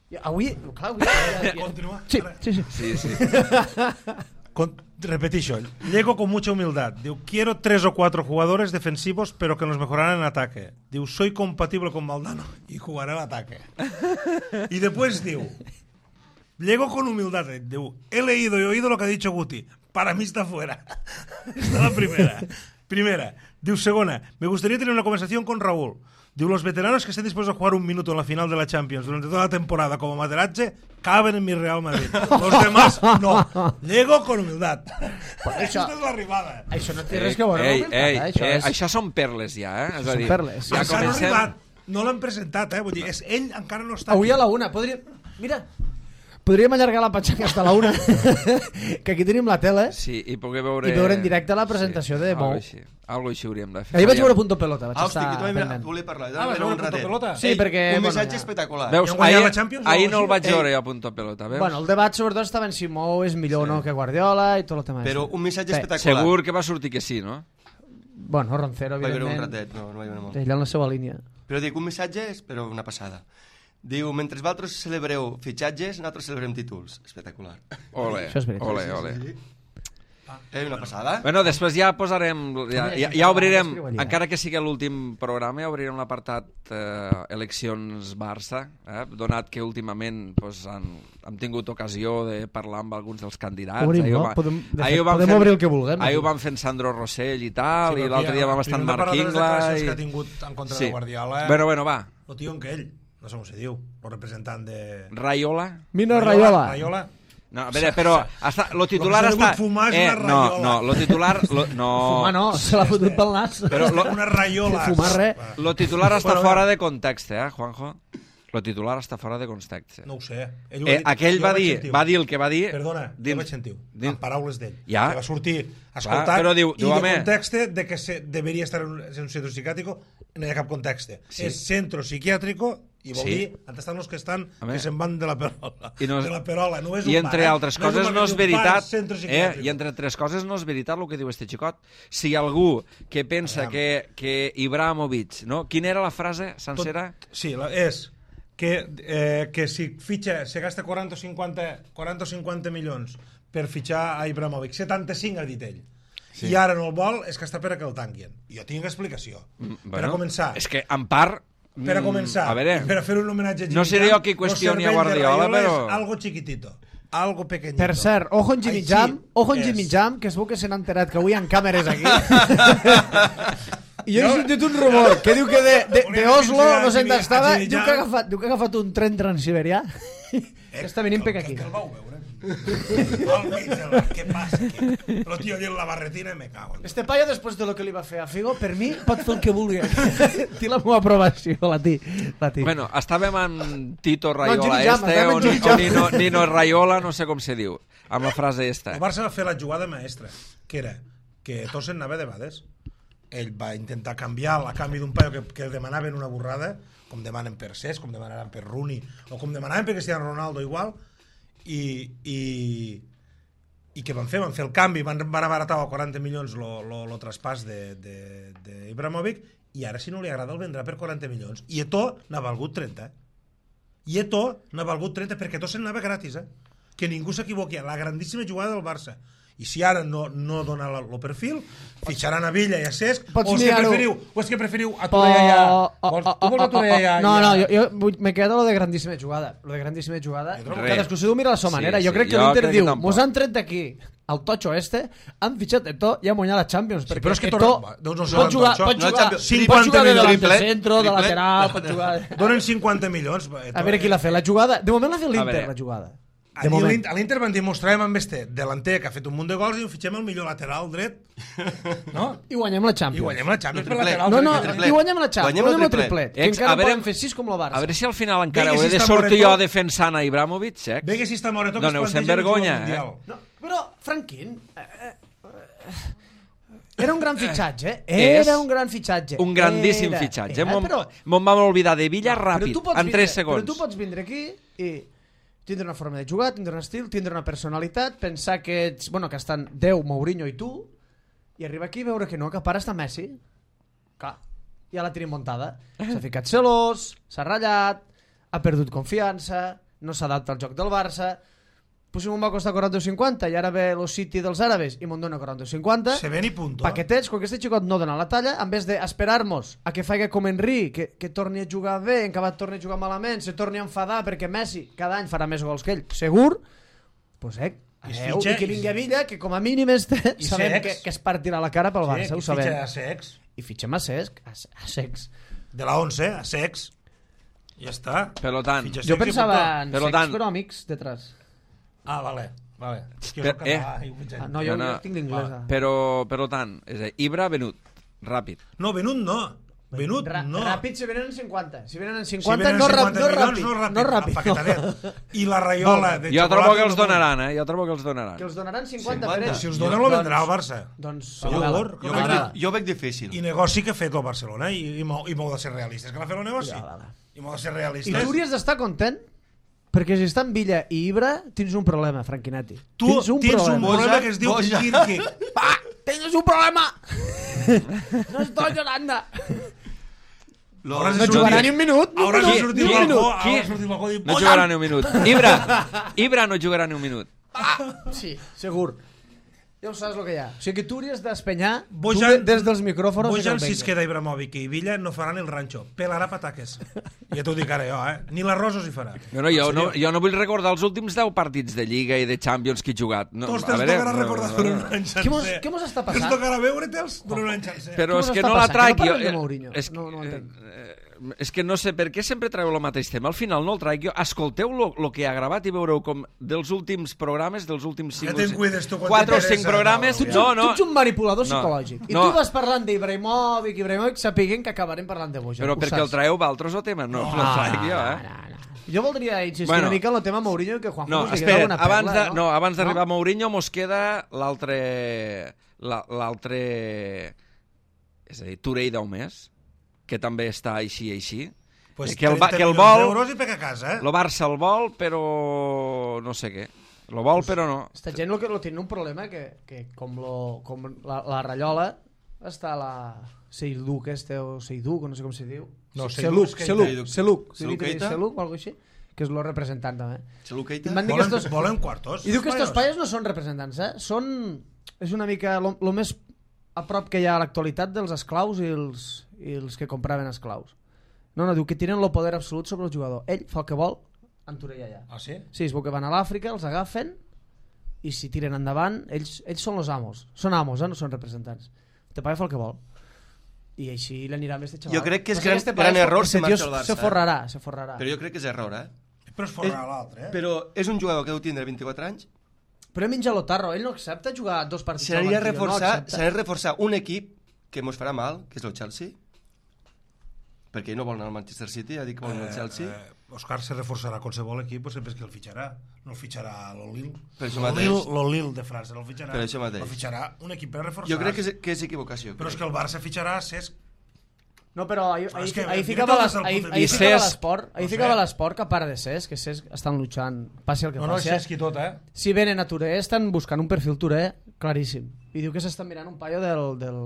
I avui, clar, avui... Ja, ja, Continua. sí, sí, sí. Sí, sí. Con, repetixo, llego con mucha humildad. Diu, quiero tres o cuatro jugadores defensivos, pero que nos mejorarán en ataque. Diu, soy compatible con Maldano y jugaré al ataque. Y después diu, llego con humildad. Diu, he leído y oído lo que ha dicho Guti. Para mí está fuera. Esta es la primera. Primera. Diu, segona, me gustaría tener una conversación con Raúl. Diu, los veteranos que estén dispuestos a jugar un minuto en la final de la Champions durante toda la temporada como Materazzi caben en mi Real Madrid. Los demás, no. Llego con humildad. Això, Aquesta és l'arribada. això no té res que veure ei, amb ei, humilitat, eh? Això eh, és... això són perles ja, eh? És a Són dir, perles. Ja Encara no ha comencem... arribat. No l'han presentat, eh? Vull dir, és, ell encara no està Avui aquí. a la una, podríem... Mira, podríem allargar la patxanga fins a la una, que aquí tenim la tele, Sí, i poder veure... i veure en directe la presentació de algo Mou. així. Algo així hauríem de fer. Ahir vaig Faríem- veure Punto Pelota, vaig Ah, hosti, estar que també pendent. volia parlar. Ah, vas Era veure un Punto ratet. Pelota? Sí, perquè, Un bueno, missatge ja- espectacular. Veus, I han guanyat ahir, la Champions, ahir no? no el vaig Ei. veure a Punto Pelota, veus? Bueno, el debat sobretot estava en si Mou és millor o no que Guardiola i tot el tema. Però este. un missatge Bé, espectacular. Segur que va sortir que sí, no? Bueno, Roncero, Vaig veure un evidentment, ratet, no, no vaig veure molt. ell en la seva línia. Però dic, un missatge és però una passada. Diu, mentre vosaltres celebreu fitxatges, nosaltres celebrem títols. Espectacular. Ole, Això és veritat. ole, ole. Eh, una passada. Bueno, després ja posarem, ja, ja, ja obrirem, Escriu allà. encara que sigui l'últim programa, ja obrirem l'apartat eh, eleccions Barça, eh, donat que últimament pues, han, hem tingut ocasió de parlar amb alguns dels candidats. Obrim, Ahir ho no? va- Podem- de ahir fet, ho vam podem fent- obrir el que vulguem, Ahir ho aquí. van fent Sandro Rossell i tal, Sí, i però l'altre aquí, dia vam estar en primer de parlar de les Marquingla. declaracions I... que ha tingut en contra Sí. de Guardiola. Bueno, bueno, va. El tio que ell, no sé com se diu, el representant de... Raiola? Mino Raiola. Raiola. No, a veure, però està, lo titular Lo que s'ha està... degut fumar és eh, una no, raiola. no, lo titular... Lo, no, Fumar no, se l'ha fotut pel nas. Però lo, Una raiola. Fumar res. lo titular està Bueno, fora de context, eh, Juanjo? Lo titular està fora de context. No ho sé. Ell ho Eh, ha dit. aquell Jo va ho vaig dir, sentir. va dir el que va dir... Perdona, jo dins- vaig sentir dins- en paraules d'ell. Ja. Que va sortir escoltat però diu- i diu, de home. context de que se, deberia estar en un, en un centro psiquiátrico no hi ha cap context. Sí. És centro psiquiátrico i vol Sí. dir on estan els que estan Home. que se'n van de la perola. I no- de la perola. No és I un entre bar, eh? altres no coses un no és bar, un bar, veritat, centro eh, psiquiátrico. i entre tres coses no és veritat el que diu este xicot. Si algú que pensa Aviam. que, que Ibrahimovic, no? Quina era la frase sencera? Tot, sí, la, és que, eh, que si fitxa, se gasta quaranta o cinquanta, quaranta o cinquanta milions per fitxar a Ibrahimovic, setanta-cinc ha dit ell. Sí. I ara no el vol, és que està per a que el tanquin. Jo tinc explicació. Mm, per a començar. És que, en part... Per a mm, començar, A veure, i per a fer un homenatge a Jimmy no seré Jam, jo qui lo qüestioni a cervell de Guardiola, Raiola però... és algo chiquitito, algo pequeñito. Per cert, ojo en Jimmy Així Jam, ojo en és. Jimmy Jam, que es veu que se n'ha enterat que avui hi ha càmeres aquí. I jo he Jo- sentit un rumor que diu que de, de, de Oslo, Volem no sé on Jimmy- estava, a Jimmy diu Jam. que, ha agafat, diu que ha agafat un tren transsiberià que està venint per aquí. Que el vau veure. Al mig del bar, què passa aquí? Però tio, allà en la barretina me cago en... Este paio, després de lo que li va fer a Figo, per mi pot fer el que vulgui. Té la meva aprovació, la té. La té. Bueno, estàvem en Tito Raiola Jimmy Jam, este, estàvem en o, Jimmy Ni- o Jam. Nino, Nino Raiola, no sé com se diu, amb la frase esta. El Barça va fer la jugada maestra, que era que Tossen anava de bades. Ell va intentar canviar a canvi d'un paio que, que demanaven una borrada, com demanen per Cesc, com demanaran per Rooney, o com demanaven per Cristiano Ronaldo igual, i, i, i què van fer? Van fer el canvi, van, van abaratar a quaranta milions lo, lo, lo traspàs d'Ibrahimovic, i ara si no li agrada el vendrà per quaranta milions. I Eto'o n'ha valgut trenta. I Eto'o n'ha valgut trenta perquè Tossen anava gratis, eh? Que ningú s'equivoqui, la grandíssima jugada del Barça. I si ara no, no dona el perfil, fitxaran a Villa i a Cesc, Pots o és, que mirar-ho. preferiu, o és que preferiu a Torreira ja... Vols, tu vols a Torreira ja... No, no, ja... jo, jo vull- me quedo lo de grandíssima jugada. Lo de grandíssima jugada. Jo trobo- Cadascú s'ho mira a la seva Sí, manera. Jo sí, crec que jo l'Inter crec que diu, tampoc. mos han tret d'aquí el totxo este, han fitxat Eto'o i han guanyat la Champions. Sí, perquè però és que Eto'o Torre- doncs no pot jugar, Totxo. pot No, jugar, Champions. pot cinquanta jugar de milions. delante Triple, centro, de triple. lateral, pot jugar... Donen cinquanta milions. A veure qui l'ha fet, la jugada... De moment l'ha fet l'Inter, veure. la jugada. A De moment. l'Inter- a l'Inter van dir, mostrarem amb este delanter que ha fet un munt de gols i fitxem el millor lateral dret, no? I guanyem la I Champions. guanyem la Champions per El triplet. lateral No, dret. no, que triplet. tenim. i guanyem la Champions, Guanyem el guanyem el triplet. triplet. Que Ex, encara a veure- poden fer sis com el Barça. A veure si al final encara Vinga, ho he si de està sortir Moreto. jo defensant a Ibrahimovic, Sex. Ve que si està Moreto que es Doneu-se'n planteja vergonya, el eh? Mundial. No, però, Franquín... Eh, eh, era un gran fitxatge, eh? És Era un gran fitxatge. Un grandíssim Era, fitxatge. Era, Me'n però, me'n vam oblidar de Villa però ràpid, tu pots en tres vindre- segons. Però tu pots vindre aquí i tindre una forma de jugar, tindre un estil, tindre una personalitat, pensar que ets, bueno, que estan Déu, Mourinho i tu, i arribar aquí i veure que no, que a part està Messi. Clar, ja la tenim muntada. S'ha ficat celós, s'ha ratllat, ha perdut confiança, no s'adapta al joc del Barça. Pues si m'ho va costar quaranta o cinquanta i ara ve el City dels àrabes i me'n dona quaranta o cinquanta, Se ven i punto. paquetets, quan aquest xicot no dona la talla, en vez d'esperar-nos a que faci com Henry, que, que torni a jugar bé, en acabat torni a jugar malament, se torni a enfadar perquè Messi cada any farà més gols que ell, segur, pues, eh, I es Adeu, fitxa... i que vingui a Villa, que com a mínim este, I sabem Sex. que, que es partirà la cara pel Barça, Sí, ho que sabem. fitxa a Sex. I fitxem a Cesc, a, a Sex. De la once, a Sex. Ja està. Per tant, Fitxa Jo Sex i pensava puntó. en Per Sex, tant- però amics detrás. Ah, vale. vale. És que Per- jo soc català eh. i ho fitxem. Ah, no, jo, no, jo tinc l'inglesa. però, per tant, és a dir, Ibra venut, ràpid. No, venut no. Venut Ra no. Ràpid si venen en cinquanta. Si venen en Si cinquanta, venen no, cinquanta ràpid, no milions, ràpid. no ràpid. No ràpid. Empaquetadet. I la raiola de Jo trobo xocolata que els no- donaran, eh? Jo trobo que els donaran. Que els donaran cinquanta, cinquanta. per ells. Si els donen, lo vendrà al Barça. Doncs, Segur. Sabela. Jo Jo, veig- Sabela. jo veig difícil. I negoci que ha fet el Barcelona i, i, m'ho, i m'ho de ser realistes. Que l'ha fet el negoci. Sabela. I m'ho de ser I realistes. tu hauries d'estar content perquè si està en Villa i Ibra tens un problema, Franquinetti. Tu tens un tens problema. un problema que es diu Boja. Kirki. ¡Pa! ¡Tienes un problema! No estoy llorando. Lo- Hauràs de No sortir- jugarà ni un minut. Ni un Hauràs de minut. sortir Ni al un balcó, minut. hauràs de sortir al balcó i dir, No "Bojan!" jugarà ni un minut. Ibra, Ibra no jugarà ni un minut. Sí, segur. Ja ho saps el que hi ha. O sigui que tu hauries d'espenyar tu Bojan- de- des dels micròfons. Bojan, si si es queda Ibrahimovic i Villa, no faran el ranxo. Pelarà pataques. Ja t'ho dic ara jo, eh? Ni l'arròs us hi farà. No, no, jo, no, jo no vull recordar els últims deu partits de Lliga i de Champions que he jugat. No, Tots a te'ls veure, tocarà no, recordar no, durant no. un any Què mos, sencer. què mos està Ens passant? tocarà veure-te'ls durant un any sencer. Però Què és mos que està no la passant? traic. Que no Jo, parlem de eh, Mourinho. és, que, No, no ho entenc. eh, és que no sé per què sempre traieu el mateix tema. Al final no el traic jo. Escolteu el que ha gravat i veureu com dels últims programes, dels últims cinc Ja te'n cuides tu quan quatre o t'interessa, cinc programes... no, Tu, No, no, tu ets un manipulador No. psicològic. I No. tu vas parlant d'Ibrahimovic, Ibrahimovic, sapiguent que acabarem parlant de Bojan. però Ho perquè el saps? traeu valtros o tema? No, no, no el traic jo, eh? No, no. Jo voldria insistir Bueno. una mica en el tema Mourinho i que Juanjo No, nos digués espera, alguna perla, abans de, no? no, abans d'arribar No? a Mourinho mos queda l'altre... la- l'altre... És a dir, Touré Daumés, que també està així, així. Pues que el, va- trenta que el milions vol... d'euros i pega a casa, eh? El Barça el vol, però no sé què. Lo vol, però no. Esta gent lo que lo tiene un problema que, que com, lo, com la, la Rayola està la Seiduc este o Seiduc o no sé com se diu. No, Seluc, Seiduc, Seluc, Seiduc. Seluc, Seluc Seluc, Keita? Seluc o algo així, que és lo representant també. Xalu Keita? Em van dir que Volen, estos, volen quartos. I diu que estos espanyols. paios no són representants, eh? Són... És una mica lo, lo més a prop que hi ha a l'actualitat dels esclaus i els, i els que compraven esclaus. No, no, diu que tenen el poder absolut sobre el jugador. Ell fa el que vol, en Torella allà. Ah, sí? Sí, es veu que van a l'Àfrica, els agafen i si tiren endavant, ells, ells són els amos. Són amos, eh? No són representants. Te paga fa el que vol. I així l'anirà amb este xaval. Jo crec que és Però gran- este gran paio, error este si marxa tio al Barça, Se eh? forrarà, se forrarà. Però jo crec que és error, eh? Però es forrarà l'altre, eh? Però és un jugador que deu tindre vint-i-quatre anys. Però menja l'Otarro, ell no accepta jugar dos partits al S'aniria a banquillo, reforçar, no accepta. s'aniria a reforçar un equip que mos farà mal, que és el Chelsea, perquè ell no vol anar al Manchester City, ha dit que vol anar al Chelsea. Eh, Òscar se reforçarà qualsevol equip, pues sempre és que el fitxarà. No el fitxarà l'Olil. Per això mateix. L'Olil de França no el fitxarà. Per això mateix. El fitxarà un equip per reforçar. Jo crec que és, que és equivocació. Però és que crec. el Barça fitxarà Cesc. No, però ahir, Però ahir, és que ahir mira ficava tot les- des del ahir- punt de ahir vista- ficava Cesc- l'esport, ahir no sé. ficava l'esport que a part de Cesc, que Cesc estan luchant, passi el que No, no, passi. Cesc i tot, eh? Si venen a Touré, estan buscant un perfil Touré claríssim. I diu que s'estan mirant un paio del, del,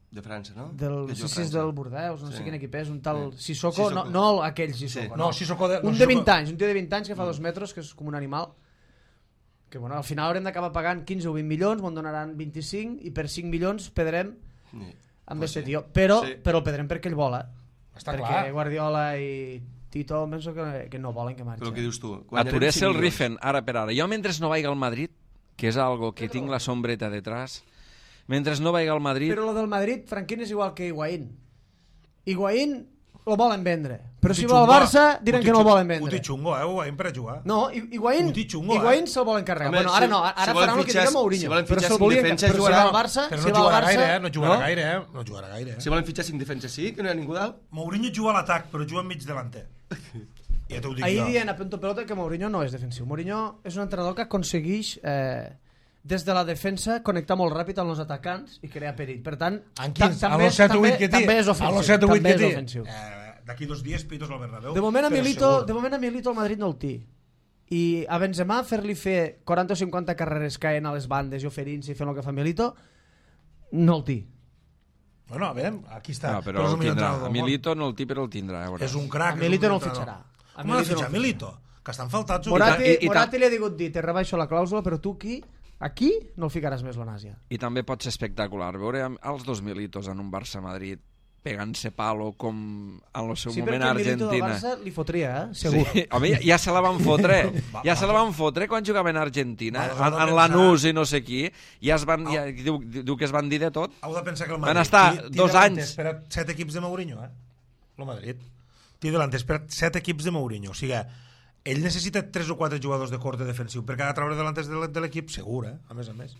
De França, no? del, Que no sé juga a si és França. del Bordeus, no Sí. sé quin equip és, un tal Sí. Sissoko, Sissoko. no, no aquell Sissoko. Sí. No. No, Sissoko de... no, Un de Sissoko- vint anys, un tio de vint anys que fa dos metres, que és com un animal, que bueno, al final haurem d'acabar pagant quinze o vint milions, m'en donaran vint-i-cinc, i per cinc milions pedrem Sí. amb Pues este sí. tio. Però, Sí. però el pedrem perquè ell vola. Està perquè clar. Guardiola i Tito penso que, que no volen que marxi. Però el que dius tu? A guanyarem Touré cinc se'l milions. rifen, ara per ara. Jo, mentre no vagi al Madrid, que és algo que tinc la sombreta detrás, mentre no vagi al Madrid... Però lo del Madrid, Franquín, és igual que Higuaín. Higuaín lo volen vendre. Però si Puti va al xungo, Barça, diran puti que no el xungo, volen vendre. Puti xungo, eh? Ho veiem per a jugar. No, I- Higuaín, Puti xungo, eh? Higuaín se'l volen carregar. Home, Bueno, ara si- no, ara si volen faran el que fitxar- diga Mourinho. si volen però fitxar se'l cinc volien, defenses, però si jugarà. va al Barça, Però si no va al jugarà Barça... gaire, eh? No jugarà no? gaire, eh? No jugarà gaire, eh? Si volen fitxar cinc defenses, sí? Que no hi ha ningú dalt? Mourinho juga a l'atac, però juga mig delanter. Ja t'ho dic Ahir jo. dient a punto pelota que Mourinho no és defensiu. Mourinho és un entrenador que aconsegueix eh, des de la defensa connectar molt ràpid amb els atacants i crear perill. Per tant, En quins? ta- A també, los set o també, vuit que té? també és A ofensiu. los set o vuit també que és té? ofensiu. Eh, D'aquí dos dies pitos al Bernabéu. De moment a però Milito, segur. de moment a Milito el Madrid no el té. I a Benzema fer-li fer quaranta o cinquanta carreres caent a les bandes i oferint-se i fent el que fa Milito, no el té. Bueno, a veure, aquí està. No, però és el el millor tindrà. entrenador A del món. Milito no el té, però el tindrà. Ja veuràs. És un crac. A és Milito un no el entrenador. fitxarà. A Com ha de Milito no fitxar el Milito? Que estan faltats. Morati, i- i Morati ta- li ha dit, dit, te rebaixo la clàusula, però tu aquí, aquí no el ficaràs més l'Onàsia. I també pot ser espectacular veure amb els dos Militos en un Barça-Madrid pegant-se palo com en el seu Sí, moment perquè a el Milito del Argentina. Barça li fotria, eh? Segur. Sí. Home, ja, ja se la van fotre. Va, Ja se la va. van fotre quan jugaven a Argentina. Va, En, heu de en pensar- Lanús i no sé qui. Ja es van, ja, diu, diu que es van dir de tot. Heu de pensar que el Van Madrid... estar té- té dos delanter anys. Per a set equips de Mourinho, eh? El Madrid. Té delanters per a set equips de Mourinho. O sigui, ell necessita tres o quatre jugadors de corte defensiu per cada treure delanters de l'e- de l'equip, segur, eh? A més a més.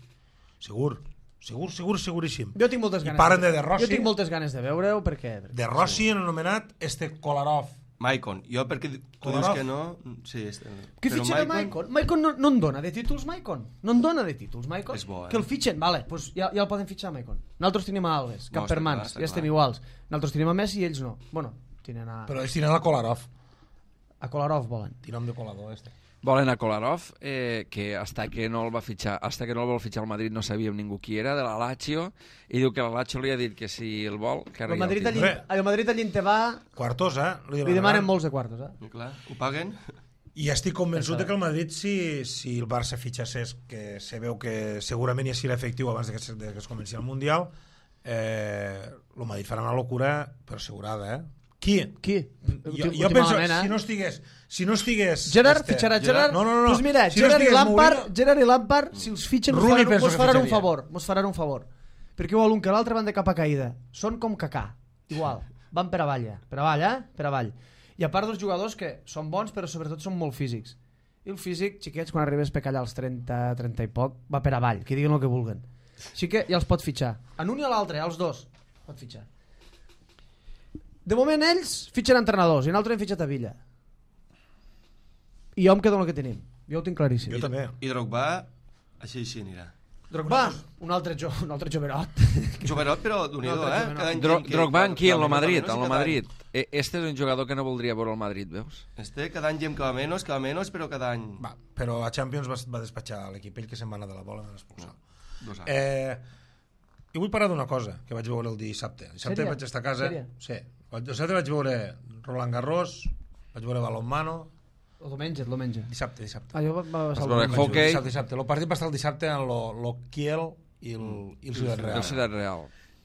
Segur. Segur, segur, seguríssim. Jo tinc moltes I ganes. paren de De Rossi. Jo tinc moltes ganes de veure-ho perquè... De Rossi han anomenat este Kolarov. Maicon. Jo, perquè tu dius Kolarov. que no... Sí, este... Què però fitxen a Maicon? Maicon no, no en dona de títols, Maicon. No en dona de títols, Maicon. És bo, eh? Que el fitxen, vale, pues ja, ja el poden fitxar, Maicon. Nosaltres tenim a Alves, No, cap per està mans, clar, està ja estem clar. iguals. Nosaltres tenim a Messi i ells no. Bueno, tenen a... Però ells tenen a Kolarov. A Kolarov volen. Té nom de colador, este. Volen a Kolarov, eh, que hasta que no el va fitxar, hasta que no el vol fitxar al Madrid no sabíem ningú qui era, de la Lazio, i diu que la Lazio li ha dit que si el vol, que El arregli Madrid, el allí, títol. el Madrid allí te va... Quartos, eh? Li demanen molts de quartos, eh? I clar, ho paguen? I estic convençut de que el Madrid, si, si el Barça fitxassés, que se veu que segurament ja serà efectiu abans de que, se- de que es comenci el Mundial, eh, el Madrid farà una locura, però assegurada, eh? Qui? Qui? Jo, jo penso, si no estigués... Si no estigués... Gerard este- fitxarà Gerard. No, no, no. Pues mira, si no Gerard, i estigués Lampard, Mourinho- Gerard i Lampard, si els fitxen, mos Rooney faran, penso mos que faran un fitxaria. favor. Mos faran un favor. Perquè igual un que l'altre van de capa caïda. Són com Cacà. Igual. Van per avall, ja. Per avall, eh? Per avall. I a part dels jugadors que són bons, però sobretot són molt físics. I el físic, xiquets, quan arribes per callar als trenta, trenta i poc, va per avall, que diguin el que vulguen. Així que ja els pot fitxar. En un i a l'altre, als dos. Pot fitxar. De moment ells fitxen entrenadors i nosaltres hem fitxat a Villa. I jo em quedo amb el que tenim. Jo ho tinc claríssim. Jo també. I Drogba, així així anirà. Drogba, un altre, jo, un altre joverot. Joverot, però d'un No, no, però eh? no. Cada any Dro que- Drogba en qui? En cada lo menos, Madrid, cada en lo menos, i cada Madrid. E- Este és un jugador que no voldria veure al Madrid, veus? any. Este cada any diem que va menys, que va menys, però cada any... Va, però a Champions va, va despatxar l'equip, ell que se'n va anar de la bola i va expulsar. Dos anys. Eh, i vull parlar d'una cosa que vaig veure el dissabte. Dissabte Sèria? vaig estar a casa. Sèria? Sí. El dissabte vaig veure Roland Garros, vaig veure balonmano. El diumenge, el diumenge. Dissabte, dissabte. Ah, jo va, va Vas passar el veure diumenge. Vaig veure hoquei. Dissabte, dissabte. El partit va estar el dissabte en lo, lo Kiel i el, i el Ciutat Real. El Ciutat Real.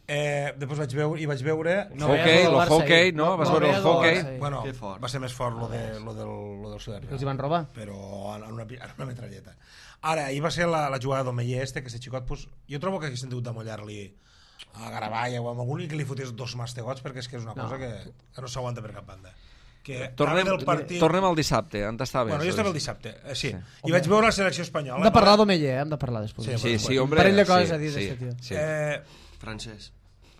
Eh, després vaig veure, i vaig veure... No Hockey, veies lo Barça hockey, ahir. no? Vas No veure el veies el hockey? Barça ahir. Bueno, Que fort. va ser més fort lo, de, lo, del, lo del Ciutat Que Real. els hi van robar. Però en una, en una metralleta. Ara, ahir va ser la, la jugada d'Omeyer este, que este xicot, pues, jo trobo que haguessin hagut d'amollar-li a Garavalla o a algú que li fotés dos mastegots, perquè és que és una No. cosa que, que no s'aguanta per cap banda. Que Tornem, anava del partit... tornem al dissabte, on està bé? Bueno, jo això? estava el dissabte, eh, sí. Sí. I vaig veure la selecció espanyola. Hem de parlar d'Omeller, eh? Hem de parlar després. Sí, Sí, sí, Bueno, hombre. un parell de coses sí, a dir sí, d'este tio. sí. Eh, Francès.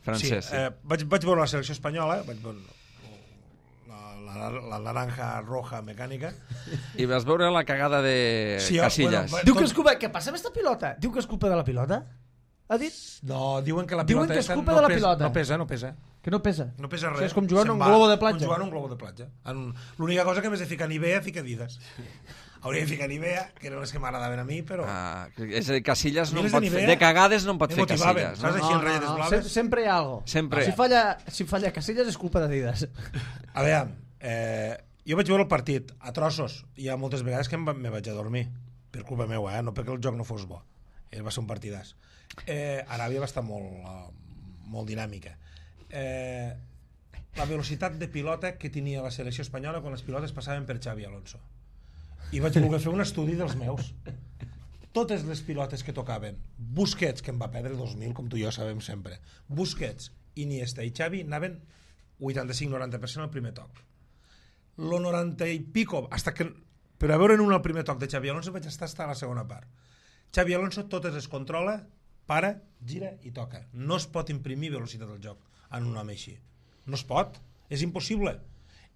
Francès, sí, sí. eh, vaig, vaig veure la selecció espanyola, vaig veure la, la, la naranja roja mecànica. I vas veure la cagada de Sí, Casillas. bueno, Diu que és culpa... Què passa amb esta pilota? Diu que és culpa de la pilota? Ha dit? No, diuen que la Diuen pilota que és esta culpa no de la pesa, pilota. No pesa, no pesa. Que no pesa. No pesa O res. sigui, és com jugar en Se'n un va, globo de platja. Com jugar en un globo de platja. En... L'única cosa que més de ficar Nivea, fica Adidas. Hauria de ficar Nivea, que eren les que m'agradaven a mi, però... Ah, és a dir, Casillas no Miles en pot de fer... Nivea De cagades no en pot me fer motivaven, Casillas. saps? No? Així en ratlletes blaves. Sem sempre hi ha algo. Sempre. Si falla, si falla Casillas és culpa d'Adidas. A veure, eh, jo vaig veure el partit a trossos. Hi ha moltes vegades que em, va, me vaig a dormir. Per culpa meua, eh? No perquè el joc no fos bo. Eh, va ser un partidàs. Eh, Aràbia va estar molt, uh, molt dinàmica. Eh, la velocitat de pilota que tenia la selecció espanyola quan les pilotes passaven per Xavi Alonso. I vaig voler fer un estudi dels meus. Totes les pilotes que tocaven, Busquets, que en va perdre dos mil, com tu i jo sabem sempre, Busquets, Iniesta i Xavi anaven vuitanta-cinc noranta per cent al primer toc. Lo noranta i pico, hasta que, per a veure en un al primer toc de Xavi Alonso vaig estar hasta a la segona part. Xavi Alonso totes es controla, para, gira i toca. No es pot imprimir velocitat al joc en un home així. No es pot, és impossible.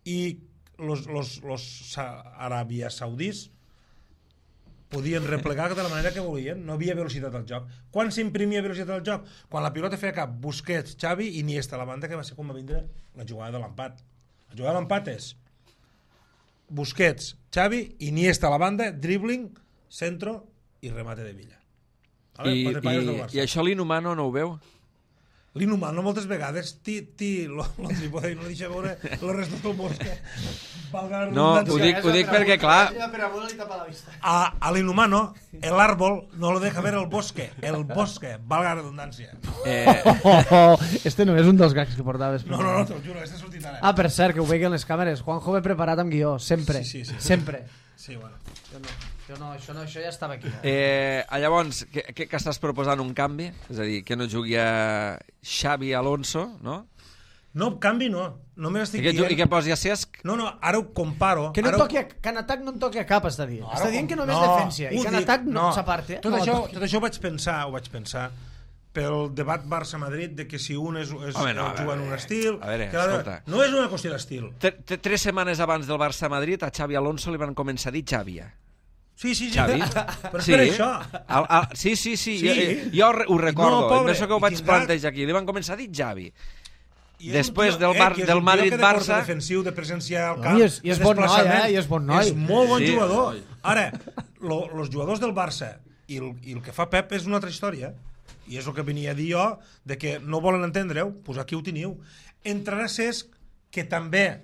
I los, los, los Aràbia Saudís podien replegar de la manera que volien, no havia velocitat al joc. Quan s'imprimia velocitat al joc? Quan la pilota feia cap Busquets, Xavi i Iniesta, la banda que va ser com va vindre la jugada de l'empat. La jugada de l'empat és Busquets, Xavi, Iniesta a la banda, dribbling, centro i remate de Villa. Vale? I, Quatre paios del i, Barça. I això l'Inhumano no ho veu? l'inhumano moltes vegades ti, ti lo, lo trípode i no deixa veure el resto del bosque. Valga la No, ho redundància. dic, ho dic perquè, clar, A, a l'inhumano, el árbol no lo deja ver el bosque, el bosque, valga la redundància. eh, Oh, oh, este no és un dels gags que portaves. No, no, no, te'l juro, este ha sortit ara. Ah, per cert, que ho veiguen les càmeres. Juanjo ve preparat amb guió, sempre. Sí, sí, sí. Sempre. Sí, bueno. Jo no, jo no, això, no, això ja estava aquí. eh, Eh? llavors, que, que, que estàs proposant un canvi? És a dir, que no jugui a Xavi Alonso, no? No, canvi no. Només estic I que, ju- i dient... que posi a Cesc? No, no, ara ho comparo. Que, no ara ho- toqui a, que en atac no en toqui a cap, està dient. No, No, està ara dient com- que només no, defensa. I ho que en dic, atac no, s'aparte. Tot, no això, toqui. tot això ho vaig pensar, ho vaig pensar pel debat Barça-Madrid de que si un és, és Home, no, a juga en veure, un estil... a veure, que l'altre- escolta. No és una qüestió d'estil. T- t- Tres setmanes abans del Barça-Madrid a Xavi Alonso li van començar a dir Xàbia. Sí, sí, sí. Xavi? Però és per això. Al, al, sí, sí, sí, Sí. jo, jo re- ho recordo, No, pobre, és això que ho i vaig tindrà- plantejar aquí, li van començar a dir Xavi. I és Després un tio, del Bar- eh, que és del un tio que de Madrid-Barça- corte defensiu, de presència al No, camp, i és- i és de bon noi, desplaçament. eh, i és bon noi. És molt bon Sí. jugador. Ara, lo, los jugadors del Barça i el, i el que fa Pep és una altra història. I és el que venia a dir jo, de que no volen entendre-ho, doncs aquí ho teniu. Entrarà Cesc, que també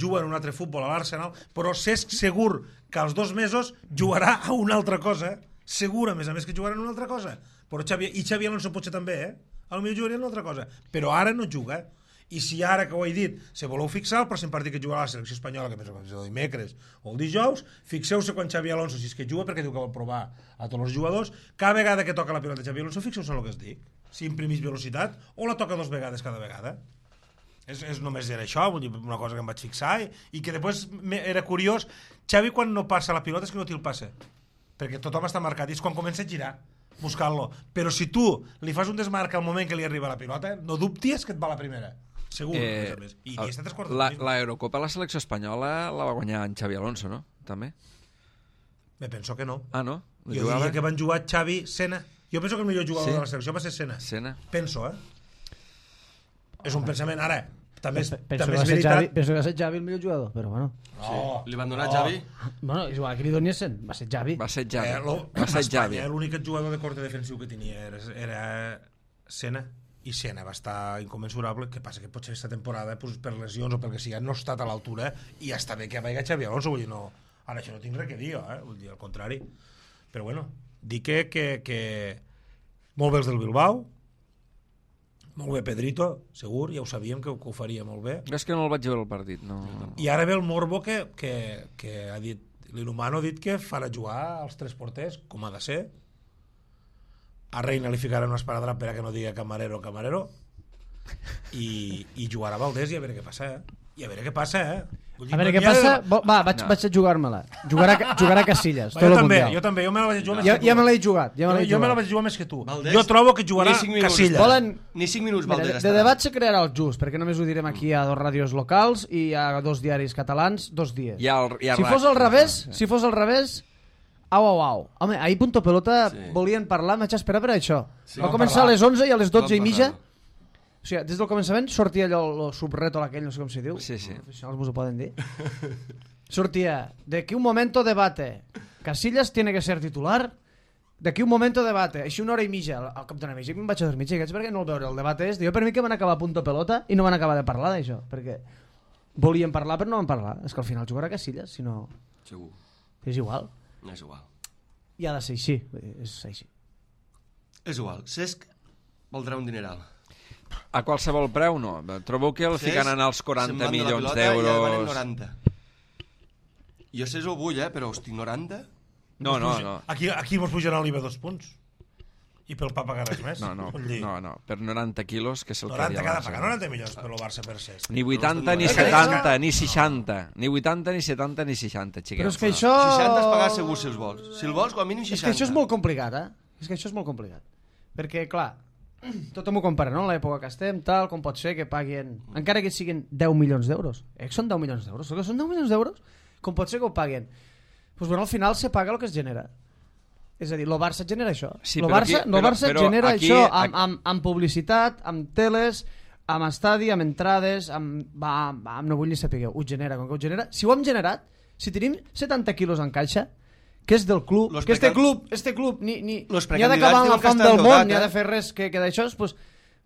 juga en un altre futbol a l'Arsenal, però Cesc segur que als dos mesos jugarà a una altra cosa, segur, a més a més, que jugarà en una altra cosa. Però Xavi, i Xavi Alonso potser també, eh? A lo millor jugaria en una altra cosa. Però ara no juga. I si ara, que ho he dit, se voleu fixar el pròxim partit que jugarà la selecció espanyola, que penso que és el dimecres o el dijous, fixeu-se quan Xavi Alonso, si és que juga, perquè diu que vol provar a tots els jugadors, cada vegada que toca la pilota Xavi Alonso, fixeu-se en el que es dic. Si imprimís velocitat o la toca dues vegades cada vegada. És, és només era això, vull dir, una cosa que em vaig fixar i, i que després me, era curiós. Xavi quan no passa la pilota és que no té el passe, perquè tothom està marcat i és quan comença a girar buscant-lo. Però si tu li fas un desmarc al moment que li arriba la pilota, no dubtis que et va la primera. Segur, eh, a més a més. I, i està tres quarts la, de la Eurocopa la selecció espanyola la va guanyar en Xavi Alonso, no? També? Me penso que no. Ah, no? Jo diria que van jugar Xavi, Sena. Jo penso que el millor jugador Sí? de la selecció va ser Sena. Sena. Penso, eh? És un pensament. Ara, també és, Penso també que, va és ser Xavi, veritat... penso que va ser Xavi el millor jugador, però bueno. No, Li van donar no. a Xavi? Bueno, és igual que li donessin, va ser Xavi. Va ser Xavi. Eh, lo, va ser Xavi. Espanya, l'únic jugador de corte defensiu que tenia era, era Sena, i Sena va estar inconmensurable. Que passa que potser aquesta temporada, pues, per lesions o pel que sigui, no ha estat a l'altura, i ja està bé que vagi Xavi Alonso, vull dir, no, ara això no tinc res que dir, eh? Vull dir, al contrari. Però bueno, dic que, que, que molt bé els del Bilbao, molt bé Pedrito, segur, ja ho sabíem que, que ho faria molt bé. És que no el vaig veure el partit, no. I ara ve el Morbo que, que, que ha dit, l'Inhumano ha dit que farà jugar als tres porters, com ha de ser. A Reina li ficarà una esparadrap per a que no digui camarero camarero, i, i jugarà Valdés i a veure què passa, eh? I a veure què passa, eh? Vull dir, A veure no què n'hi ha passa... de- Bo- Va, vaig, No. vaig a jugar-me-la. Jugarà, jugarà Casillas, Va, tot jo el també, mundial. jo també, jo me la vaig jugar més Ja, que tu. ja me l'he jugat. Ja me jo, l'he jo me la jugat. vaig jugar més que tu. Valdés, jo trobo que jugarà ni cinc minuts. Casillas. Volen... Ni cinc minuts Mira, Valdés de, de estarà. debat se crearà el just, perquè només ho direm aquí a dos ràdios locals i a dos diaris catalans, dos dies. Hi ha el, hi ha Si rac. fos al revés, si fos al revés, au, au, au. Home, ahir Punto Pelota Sí. volien parlar, m'haig esperar per això. Sí. Va Vam començar a parlar. les onze i a les dotze i Vam mitja. parlar. O sigui, des del començament sortia allò, el subreto aquell, no sé com se diu. Sí, sí. Els professionals vos ho poden dir. Sortia, de aquí un momento debate. Casillas tiene que ser titular. De aquí un momento debate. Així una hora i mitja. Al cap d'una mitja em vaig a dormir, xiquets, perquè no el veure el debat és. Jo per mi que van acabar a Punto Pelota i no van acabar de parlar d'això, perquè volien parlar però no van parlar. És que al final jugarà Casillas, si no... Segur. És igual. No és igual. I ha de ser així. És així. És igual. Cesc valdrà un dineral. A qualsevol preu, no. Trobeu que el Cesc fiquen als se'n quaranta van de la milions pilota i ja van en d'euros. noranta. Jo Cesc ho vull, eh, però hosti, noranta? No, no, no. Aquí, aquí mos pujaran l'I V A dos punts. I pel pa pagar res més. No, no, Vull dir, no, no. Per noranta quilos, que és el que noranta hi ha cada al pagar, Barça. noranta milions per lo Barça per Cesc. Ni vuitanta, ni Eh, setanta, ni seixanta. Ni vuitanta, ni setanta, ni seixanta, xiquets. Però és que això... seixanta es pagar segur si els vols. Si el vols, com a mínim És seixanta. que això és molt complicat, eh? És que això és molt complicat. Perquè, clar, tothom ho compara, no? L'època que estem, tal, com pot ser que paguin... Encara que siguin deu milions d'euros. Eh, són deu milions d'euros. Que són deu milions d'euros? Com pot ser que ho paguen? Doncs, bueno, al final se paga el que es genera. És a dir, el Barça genera això. Sí, el però Barça, aquí- el però- Barça però genera aquí- això aquí- amb, amb, amb publicitat, amb teles, amb estadi, amb entrades, amb... Va, va, no vull ni saber, ho genera. Com que ho genera... Si ho hem generat, si tenim setanta quilos en caixa, que és del club, Los que este precan- club, este club ni, ni, Los ni ha d'acabar precandidats amb la diuen que fam estan del món, dotat, ni ha eh? de fer res que, que d'això, pues,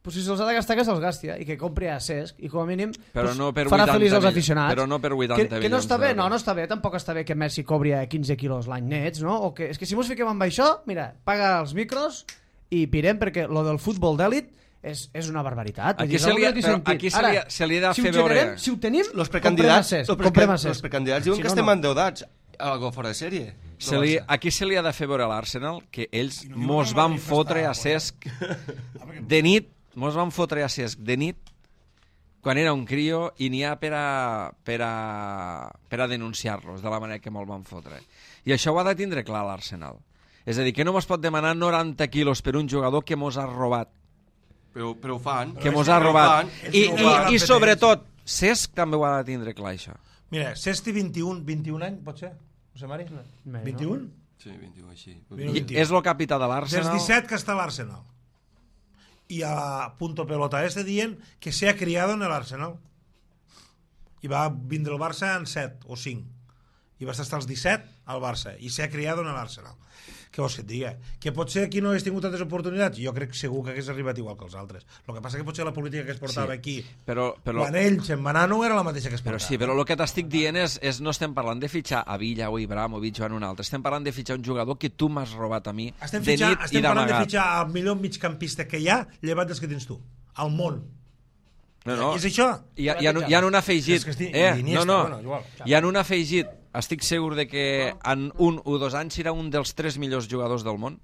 pues si se'ls ha de gastar, que se'ls gasti, eh? I que compri a Cesc, i com a mínim però pues, no per farà vuitanta feliç als mil- aficionats. però no per vuitanta que, que no està bé, milions no, d'euros. no està bé, tampoc està bé que Messi cobri a quinze quilos l'any nets, no? O que, és que si mos fiquem amb això, mira, paga els micros i pirem, perquè lo del futbol d'èlit és, és una barbaritat. Vull Aquí dir, se no li ha- té però sentit. aquí se Ara, li ha- se li ha de si ho fer veure- generem, si ho tenim, Los comprem a precandidats, Cesc, los, comprem a preca- los Cesc. precandidats diuen Si que no, estem no. endeudats. Algo fora de sèrie. Se li, aquí se li ha de fer veure a l'Arsenal que ells I no diu mos que el van Madrid fotre està a Cesc fora. de nit, mos van fotre a Cesc de nit quan era un crio i n'hi ha per a, per a, per a denunciar-los de la manera que me'l van fotre. I això ho ha de tindre clar l'Arsenal. És a dir, que no mos pot demanar noranta quilos per un jugador que mos ha robat. Però, però ho fan. Que és mos que ha no ho robat. fan, és I, que no ho i, fan. I sobretot, Cesc també ho ha de tindre clar, això. Mira, Cesc té vint-i-un, vint-i-un anys, pot ser? José Mari? Bé, vint-i-un? Sí, vint-i-u, així. Mira, I vint-i-un. és el capità de Des l'Arsenal. disset que està a l'Arsenal. Y a punto pelota este dient que se ha criado en el Arsenal. I va vindre el Barça en set o cinc. I va estar als disset al Barça. I s'ha criado en el Arsenal. Què vols que et digui? Que potser aquí no hagués tingut tantes oportunitats? Jo crec segur que hagués arribat igual que els altres. El que passa que potser la política que es portava Sí, aquí, però, però, quan ell se'n va anar, no era la mateixa que es però portava. sí, però el que t'estic dient és, és no estem parlant de fitxar a Villa o Ibrahimovic o en un altre. Estem parlant de fitxar un jugador que tu m'has robat a mi Estem, de fitxar, nit i estem parlant de d'amagat. fitxar el millor migcampista que hi ha, llevat dels que tens tu. Al món. No, no. És això? Hi ha, hi ha, hi ha un afegit. És que estic- Eh, Iniesta, no, no. bueno, igual. Hi ha un afegit. Estic segur de que en un o dos anys serà un dels tres millors jugadors del món.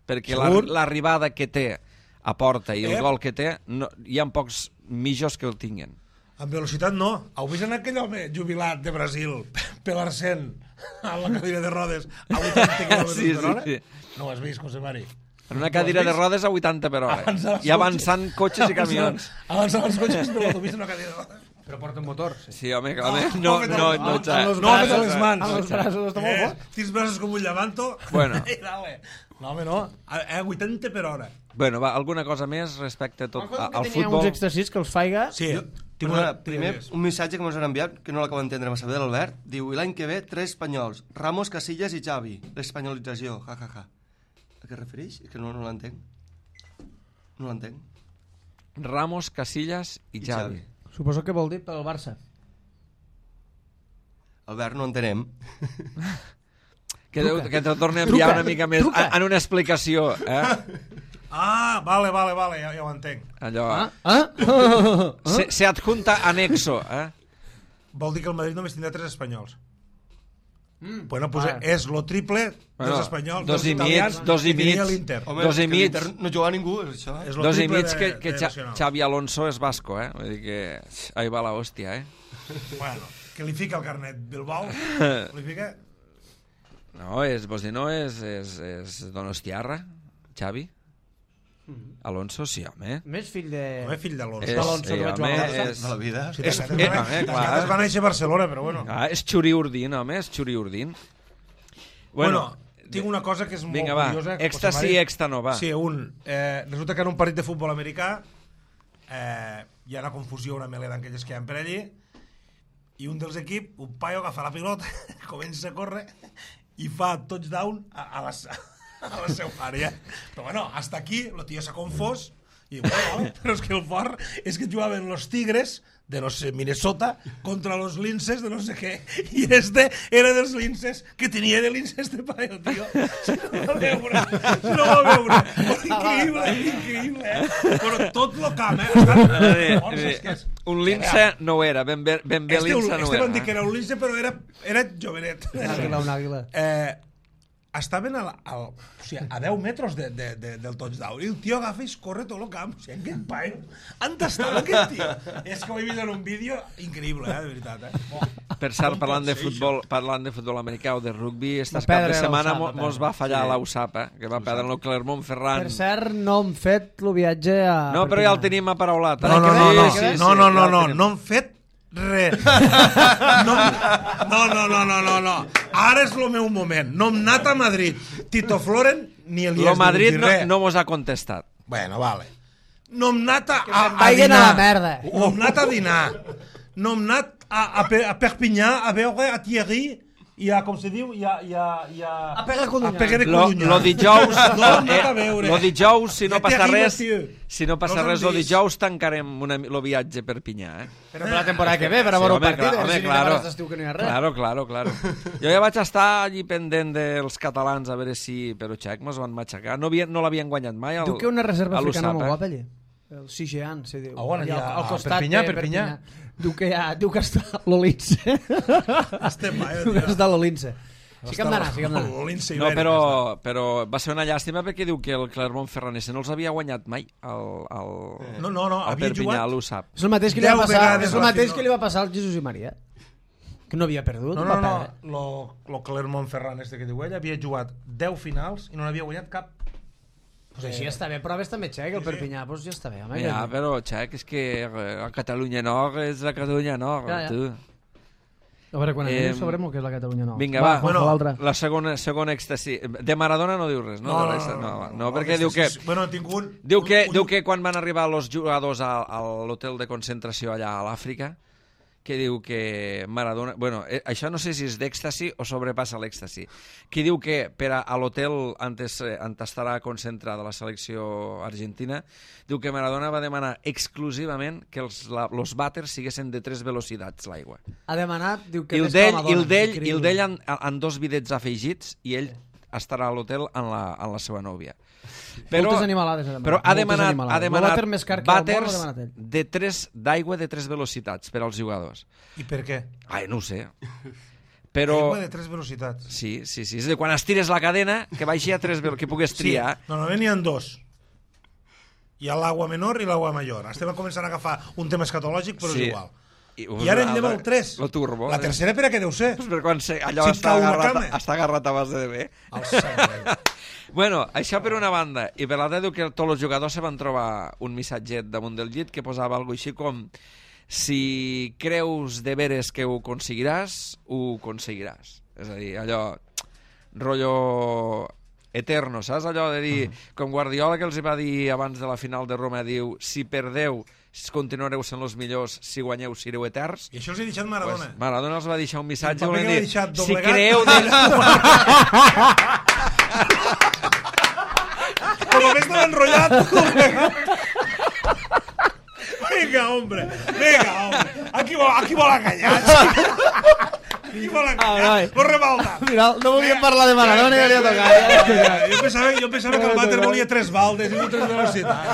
Perquè la- Segur? l'arribada que té a porta i el Eh? gol que té, no, hi ha pocs millors que el tinguin. En velocitat no. Heu vist en aquell home jubilat de Brasil, Pelarsen, a la cadira de rodes, a vuitanta quilòmetres Sí, per sí, hora? sí. No ho has vist, José Mari? En una cadira de rodes a vuitanta per hora. Avançant els I avançant cotxes i Avançant- camions. Avançant els cotxes per l'autopista en una cadira de rodes. Però porta un motor, sí. Sí, home, clar, No, no, no, no, no, no, amb xa- los No, amb braços, les mans. amb els braços, està molt Eh, fort. tens braços com un llevanto. Bueno. I dale. No, home, no. A, a vuitanta per hora. Bueno, va, alguna cosa més respecte a tot, a, al Tenia futbol? uns exercicis que els faiga... Sí. Jo, tinc perdona, una... primer, un missatge que ens han enviat, que no l'acabo d'entendre massa bé, de l'Albert, diu, i l'any que ve, tres espanyols, Ramos, Casillas i Xavi. L'espanyolització, ja, ja, ja. A què es refereix? És que no, no l'entenc. No l'entenc. Ramos, Casillas i I Xavi. Xavi. Suposo que vol dir pel Barça. Albert, no entenem. Que, Truca. que te torni a Truca. enviar una mica més Truca. en una explicació, eh? Ah, vale, vale, vale, ja, ja ho entenc. Allò... Ah? Ah? Se, se adjunta anexo, eh? Vol dir que el Madrid només tindrà tres espanyols. Mm. Bueno, pues Vale. és lo triple Bueno, dels espanyols, dos dels i mig, italians, dos i que tenia mig. l'Inter. Home, Dos i que mig. l'Inter no juga a ningú, és això. És lo Dos i triple mig de- que, que de Xa, nacional. Xavi Alonso és basco, eh? Vull dir que... Ahí va la hòstia, eh? Bueno, que li fica el carnet Bilbao, li fica... No, és, vols dir, no és, és, és Donostiarra, Xavi? Alonso, sí, home. Més fill de... Home, fill d'Alonso. És, Alonso, que eh, vaig home, jugar al Barça. és... De la vida. Sí, és- les eh, gates home, clar. les gates van néixer a Barcelona, però bueno. Ah, és Xuri Urdín, home, és Xuri Urdín. Bueno, tinc una cosa que és molt vinga, va, curiosa. extra José sí, Mari. extra no, va. Sí, un. Eh, resulta que en un partit de futbol americà eh, hi ha una confusió, una meleda d'aquelles que hi ha per allí, i un dels equips, un paio agafa la pilota, comença a córrer i fa touchdown a, a, la, a la seva àrea. Però bueno, hasta aquí, el tio s'ha confós, i bueno, vale, però és que el fort és que jugaven los Tigres de no sé, Minnesota contra los linces de no sé què, i este era dels linces que tenia de linces de paio, tio. Si no va veure, si no va veure. Increïble, increïble, eh? Però tot lo camp, eh? Estan Eh, forts, és que eh, és- Un lince no ho era, ben bé, ben bé Este, lince no este era. van dir que era un lince, però era, era jovenet. Un àguila, un àguila. Eh, estaven al, al, o sigui, a deu metres de, de, de, del touchdown i el tio agafa i es corre tot el camp. O sigui, aquest paio, on estava aquest tio? És que ho he vist en un vídeo increïble, eh, de veritat. Eh? Oh. Per cert, Com parlant pot de ser futbol, parlant de futbol americà o de rugby, Va estas cap perdre de setmana l'U S A P, mo- va mos perdre. va fallar Sí. la U S A P, eh? Que va perdre el Clermont-Ferrand. Per cert, no hem fet el viatge a... No, però ja el tenim aparaulat. eh? No, no, no, Sí, no, sí, sí, no, no, no, ja el no, tenim. no hem fet res. No, no, no, no, no, no, no. Ara és el meu moment. No hem anat a Madrid. Tito Floren ni Elias Lo Madrid ni no, res. no mos ha contestat. Bueno, vale. No hem anat a, a, se'n a vagin dinar. a la merda. No hem anat a dinar. No hem anat a, a, Pe- a Perpinyà a veure a Thierry i a, com se diu, i a... I a, i a, a pegar Codunyà. A pegar de Lo, Codunyà. lo dijous, No, no té a veure. lo dijous, si no Ja té passa arriba, res, tio. si no passa No res, s'han lo vist. dijous tancarem una, lo viatge per Pinyà, eh? Però per la temporada que ve, per a veure el home, partit, clar, eh, home, si ni claro. de d'estiu que no hi ha res. Claro, claro, claro. Jo ja vaig estar allí pendent dels catalans a veure si... Però xec, mos van matxacar. No, havia, no l'havien guanyat mai. El, Diu que una reserva a africana l'U S A P, molt eh? guapa allí. El Sigean, se diu. A on, Allà allà, al a costat Perpinyà, de Perpinyà? Diu que, ha, diu que està l'Olince. Estem mai, Diu que està l'Olince. Sí que hem d'anar, sí que hem d'anar. L'Ince No, Ibèric, però, està. però va ser una llàstima perquè diu que el Clermont-Ferranese no els havia guanyat mai al, al, No, no, no, al havia Perpinyà, jugat- a l'U S A P. És el mateix que li va Deu passar, vegades és el va mateix fer- que li va passar al Jesús i Maria. Que no havia perdut, No, va no, no, perdre. lo, lo Clermont-Ferrand este que diu ella havia jugat deu finals i no n'havia guanyat cap. Pues així està bé, proves també xec, el Perpinyà, pues ja està bé. Home, Ja, que- però, xec, és que a Catalunya Nord és la Catalunya Nord, Ja, ja. tu. A veure, quan anem Eh, sabrem el que és la Catalunya Nova. Vinga, va, Juanjo, bueno, l'altre. La segona, segona èxtasi. De Maradona no diu res, no? De res, no, no, perquè diu que... Bueno, tinc un... Diu un- que, un- diu que quan van arribar els jugadors a, a l'hotel de concentració allà a l'Àfrica, que diu que Maradona... Bueno, eh, això no sé si és d'èxtasi o sobrepassa l'èxtasi. Que diu que per a, a l'hotel antes, eh, on estarà concentrada la selecció argentina, diu que Maradona va demanar exclusivament que els, la, los vàters siguessin de tres velocitats, l'aigua. Ha demanat, diu que I el més que la d'ell, i Madonna, el d'ell, i increïble. el d'ell en, en dos bidets afegits i ell estarà a l'hotel amb la, amb la seva nòvia. Moltes animalades ha demanat, però ha moltes demanat, animalades. ha El demanat vàter més car que al món l'ha vàters demanat ell. de tres d'aigua de tres velocitats per als jugadors. I per què? Ai, no ho sé. Però... Aigua de tres velocitats. Sí, sí, sí. És a dir, quan estires la cadena, que vagi a tres velocitats, que puguis triar. Sí, normalment n'hi ha dos. Hi ha l'agua menor i l'agua major. Estem començant a agafar un tema escatològic, però Sí. és igual. I, I ara anem al tres. Lo turbo. La tercera per a què deu ser? Pues per quan se, allò Si et està, cau una agarrat, cama. està agarrat a base de bé. El sang. Bueno, això per una banda. I per l'altra diu que tots els jugadors se van trobar un missatget damunt del llit que posava alguna així com si creus de veres que ho aconseguiràs, ho aconseguiràs. És a dir, allò rotllo eterno, saps? Allò de dir, com Guardiola que els hi va dir abans de la final de Roma, diu, si perdeu continuareu sent els millors, si guanyeu sereu eterns. I això els he deixat Maradona. Pues Maradona els va deixar un missatge I el paper volent que l'ha dir, deixat si doblegat. creu de... Com a més estava enrotllat. Vinga, hombre. Vinga, hombre. Aquí vol, aquí vol enganyar. Aquí vol enganyar. No rebalta. Mira, no volíem parlar de Maradona i ja tocat. Jo pensava, jo pensava que el vàter volia tres baldes i no tres velocitats.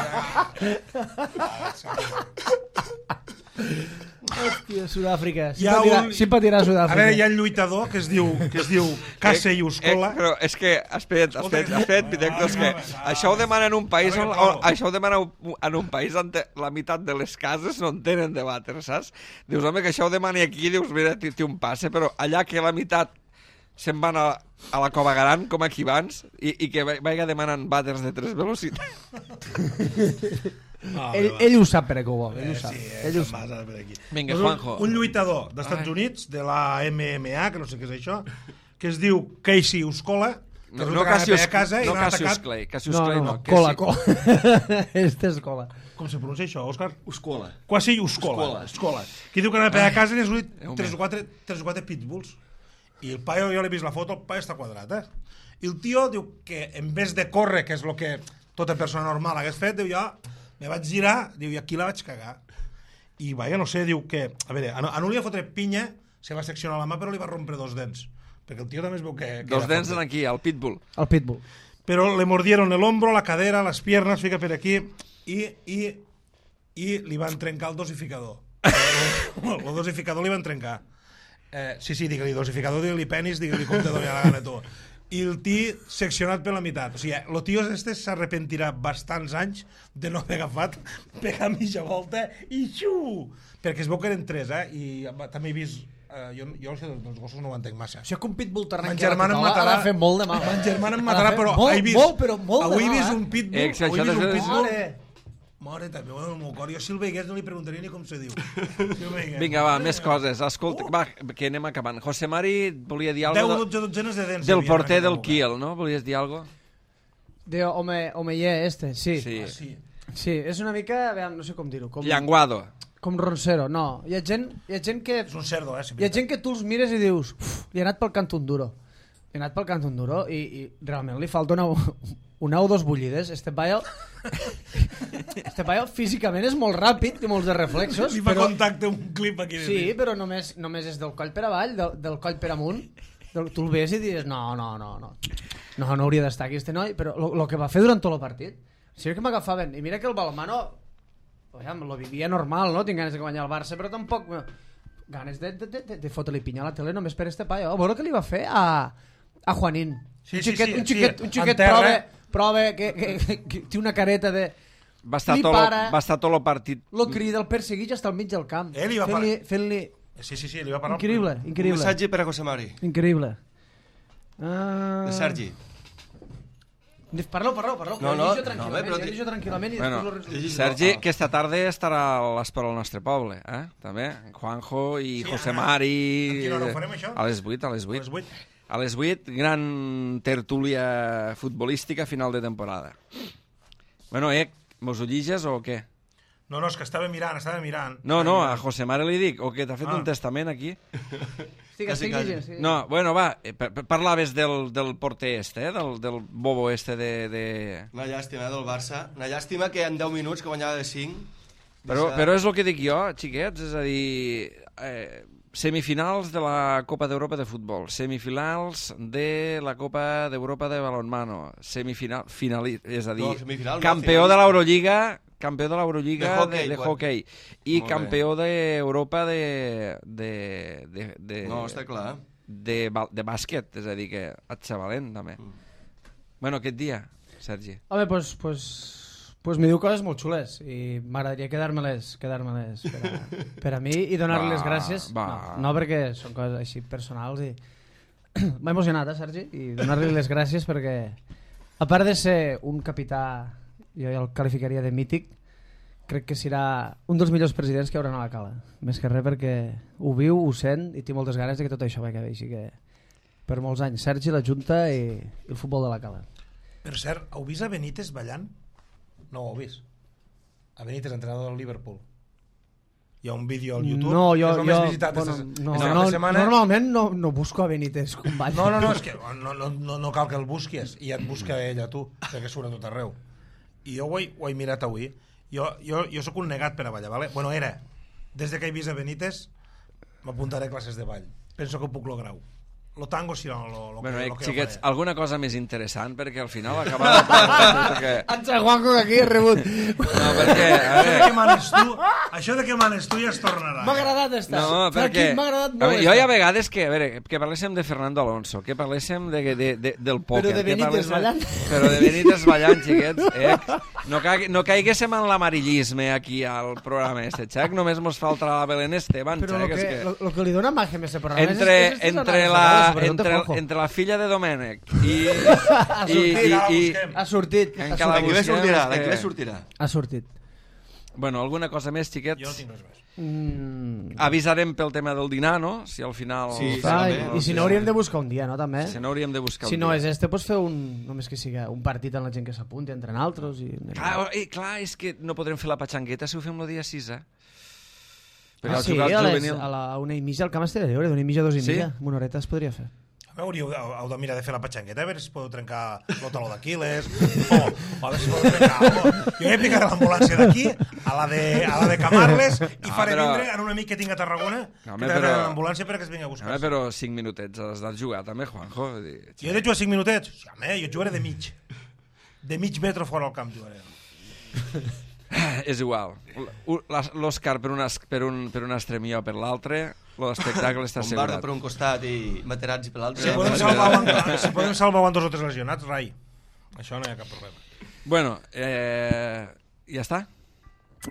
Hòstia, Sud-àfrica. Hi ha Simpatirà, un- simpatirà A Sud-àfrica. veure, hi ha un lluitador que es diu, que es diu Case i Uscola. Eh, però és que, espera't, espera't, espera't, Pitecto, és que Ah, això ho demana en un país a on, veure, on, això ho demana en un país on te- la meitat de les cases no en tenen de vàter, saps? Dius, home, que això ho demani aquí, dius, mira, té té un passe, però allà que la meitat se'n van a, a la Cova Gran, com aquí abans, i, i que vaiga demanant vàters de tres velocitats. Ah, Ell, ell ho sap per què ho vol, ell ho sap. Sí, Ell ho sap. passa per aquí. Vinga, Doncs un- Juanjo. Un lluitador dels Estats Ai. Units, de la M M A, que no sé què és això, que es diu Casey Uscola, que No, resulta no que anava Cassius, a casa i no l'han Cassius atacat. Clay, Cassius No, Clay no, no. no, que cola, sí. cola. Este és cola. Com se pronuncia això, Òscar? Uscola. Quasi Uscola. Uscola. Que diu que anava a casa i n'ha sortit Déu tres meu. o quatre, tres o quatre pitbulls. I el paio, jo l'he vist la foto, el paio està quadrat, eh? I el tio diu que en vez de córrer, que és el que tota persona normal hagués fet, diu, jo me vaig girar, diu, i aquí la vaig cagar. I, vaja, no sé, diu que... A veure, a no, a no li va fotre pinya, se va seccionar la mà, però li va rompre dos dents. Perquè el tio també es veu que... que Dos era dents fort. en aquí, al pitbull. El pitbull. Pero le mordieron el hombro, la cadera, las piernas, fica per aquí, i, i, i li van trencar el dosificador. El, el dosificador li van trencar. Eh, sí, sí, digue-li dosificador, digue-li penis, digue-li com te doni la gana tu. I el tio seccionat per la meitat. O sigui, el tio este s'arrepentirà bastants anys de no haver agafat, pegar mitja volta i xiu! Perquè es veu que eren tres, eh? I també he vist... Eh, jo, jo això dels gossos no ho entenc massa. Això que un pitbull t'arrenqui Ma germana em la matarà. ha de fer molt de mal. Ma germana em Ha de matarà, fer però molt, he vist... molt, però molt de avui he mal, vist eh? un pitbull, Eh, que avui he això vist un de- pitbull... Mare. Mare, també, bueno, el meu cor. Jo si el veigués no li preguntaria ni com se diu. Si el veigués. Vinga, va, més coses. Escolta, va, que anem acabant. José Mari volia dir deu o alguna cosa dotze dotzenes de dents. del havia porter en aquella del època. Kiel, no? Volies dir alguna cosa? De home, home, yeah, este, sí. Sí. Ah, sí. Sí, és una mica, veiem, no sé com dir-ho. Com... Llanguado. Com Roncero, no. Hi ha gent, hi ha gent que... És un cerdo, eh? Hi ha gent que tu els mires i dius uf, li ha anat pel cantó duro. Li ha anat pel cantó duro i, i realment li falta una, una o dos bullides. Este paio... este paio físicament és molt ràpid, té molts de reflexos. Li fa però... contacte un clip aquí. Sí, però només, només és del coll per avall, del, del coll per amunt. Del, tu el ves i dius, no, no, no, no. No, no hauria d'estar aquí este noi, però el que va fer durant tot el partit, sí que m'agafaven. I mira que el Balmano, oiam, lo vivia normal, no? Tinc ganes de guanyar el Barça, però tampoc... Ganes de, de, de, de fotre-li pinya a la tele només per este paio. A veure què li va fer a, a Juanín. Sí, un xiquet, sí, sí, un xiquet, sí, un xiquet terra, prova, eh? prova que, que, que, que té una careta de... Va estar, li tot para, lo, va estar tot el partit... lo crida, el persegueix hasta al mig del camp. Eh, li va fent-li... parar. Fent-li... Sí, sí, sí, li va parar... Increïble, Un increïble. missatge per a José Mari, Increïble. Uh... de Sergi. Parlo, parlo, parlo. No, no, llegeixo no, tranquil·lament, bé, però llegeixo tranquil·lament i Bueno, després lo resum. llegeix- Sergi, Ah. aquesta tarda estarà a l'Espera al nostre poble, eh? També, Juanjo i Sí, José Anna. Mari... A quina hora ho farem, això? A les vuit, a les A vuit. les vuit. A les vuit, gran tertúlia futbolística final de temporada. Bueno, eh, mos ho lliges o què? No, no, és que estava mirant, estava mirant. No, no, a Estava mirant. José Mari li dic, o què, t'ha fet Ah. un testament aquí? Estic, Quasi, estic quasi. llegint, sí. No, bueno, va, eh, pa- pa- parlaves del, del porter este, eh? del, del bobo este de... de... Una llàstima eh, del Barça. Una llàstima que en deu minuts que guanyava de cinc. Però, deixa- però és el que dic jo, xiquets, és a dir, eh, semifinals de la Copa d'Europa de futbol, semifinals de la Copa d'Europa de balonmano, semifinal, finali, és a dir, No, semifinal no, campió finalista. de l'Eurolliga, campió de l'Eurolliga De de, hoquei, de, quan- hoquei i Molt bé. campió d'Europa de, de, de, de, No, està clar. de, ba- de bàsquet, és a dir, que et xavalent, també. Mm. Bueno, aquest dia, Sergi. Home, doncs... Pues, pues me diu coses molt xules i m'agradaria quedar-me-les quedar-me-les per, a, per a mi i donar-li Va, les gràcies. va. No, no, perquè són coses així personals i m'ha emocionat, eh, Sergi? I donar-li les gràcies perquè, a part de ser un capità, jo ja el qualificaria de mític, crec que serà un dels millors presidents que hi haurà a la Cala. Més que res perquè ho viu, ho sent i té moltes ganes de que tot això vagi bé. Així que per molts anys, Sergi, la Junta i, i el futbol de la Cala. Per cert, heu vist a Benítez ballant? No ho heu vist. A Benítez, entrenador del Liverpool. Hi ha un vídeo al YouTube. No, jo, és el jo més visitat bueno, esta, no, esta no, setmana. normalment no, no busco a Benítez com balla. No, no, no, és que no, no, no, no cal que el busquis, i ja et busca ell a tu, perquè surt a tot arreu. I jo ho he, ho he mirat avui. Jo, jo, jo sóc un negat per a ballar, vale? Bueno, era. Des de que he vist a Benítez, m'apuntaré a classes de ball. Penso que ho puc lograr. Lo tango si no, lo, lo, Bueno, que, eh, lo que xiquets, jo faré. alguna cosa més interessant, perquè al final acaba de parlar que... Entra Juanjo que aquí he rebut. No, perquè, a Això de veure... que manes tu, això de que manes tu ja es tornarà. M'ha agradat estar. No, perquè... M'ha agradat a molt veure, jo hi ha estar. vegades que, a veure, que parléssim de Fernando Alonso, que parléssim de, de, de, del pòquer... Però de que Benítez parléssim- ballant. Però de Benítez ballant, xiquets. Eh? No, caigui, no caiguéssim en l'amarillisme aquí al programa este, xac? Només mos falta la Belén Esteban, Però xac? lo és que, que... lo, lo que li dona màgia a aquest programa Entre, és, és, és entre, les la, anades, sobretot de entre, Juanjo. entre la filla de Domènec i... Ha i, sortit, i, ara la i, busquem. Ha sortit. Ha Encara D'aquí sortit. bé sortirà, és que- d'aquí bé sortirà. Ha sortit. Bueno, alguna cosa més, xiquets? Jo no tinc res més. Mm. Avisarem pel tema del dinar, no? Si al final... Sí, sí, Ah, també. i, I si no hauríem de buscar un dia, no? També. Si no hauríem de buscar Si un no dia. és este, pots fer un, només que siga un partit amb la gent que s'apunti, entre altres. I... Clar, eh, clar, és que no podrem fer la patxangueta si ho fem el dia sis, eh? Perquè Ah, al sí, jugar a, les, juvenil... a la una i mitja al camp estaré lliure, d'una i mitja a dos i Sí? mitja. Amb una horeta es podria fer. A veure, heu, heu, heu de mirar de fer la patxangueta, a veure si podeu trencar el taló d'Aquiles, o, o a veure si podeu trencar algo. Jo he picat l'ambulància d'aquí a la de, a la de Camarles i No, faré però- vindre en un amic que tinc a Tarragona, No, home, que t'agrada però- l'ambulància perquè es vinga a buscar. Home, però cinc minutets has de jugar també, Juanjo. Vull dir, Jo he de jugar cinc minutets? Sí, home, jo jugaré de mig. De mig metre fora al camp jugaré. És igual. L- la- L'Òscar per, una, per, un, per un extrem i jo per l'altre, l'espectacle està Bombarda assegurat. per un costat i Materazzi per l'altre. Si podem salvar amb, si podem salvar amb dos o tres lesionats, rai. Això no hi ha cap problema. Bueno, eh, ja està?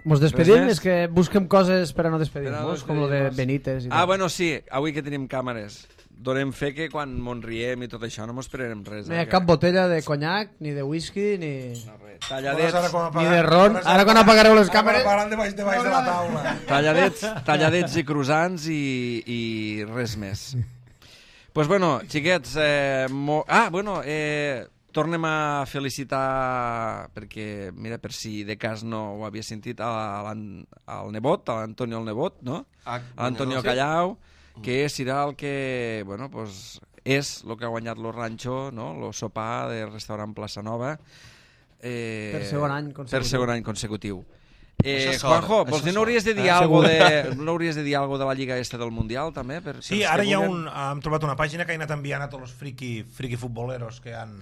Mos despedim? més? És que busquem coses per a no Per a no despedir-nos, com lo de despedir-nos. Benítez i Ah, tal. bueno, sí, avui que tenim càmeres. Donem fe que quan mos riem i tot això no mos esperarem res. No hi ha eh, cap que- botella de conyac, ni de whisky, ni, No, res. Veuràs Talladets, ara com ni apagar- de ron. veuràs Ara quan apagareu les Ara càmeres... apagaran debaix, debaix de la taula. talladets, talladets i croissants i, i res més. Pues bueno, xiquets, eh, mo... ah, bueno, eh, tornem a felicitar, perquè, mira, per si de cas no ho havia sentit, a l'an- al nebot, a l'Antonio el nebot, no? Ah, A l'Antonio sí. Callau, que serà el que, bueno, pues, és el que ha guanyat lo rancho, no? Lo sopar del restaurant Plaça Nova. Eh, Per segon any consecutiu. Per segon any consecutiu. Eh, Això és sort, Juanjo, això vols dir, és no hauries de dir Eh, algo segur. de, no hauries de dir algo de la Lliga Este del Mundial, també? Per, Sí, pels ara que hi ha vulguen? un... Hem trobat una pàgina que he anat enviant a tots els friqui, friqui futboleros que han...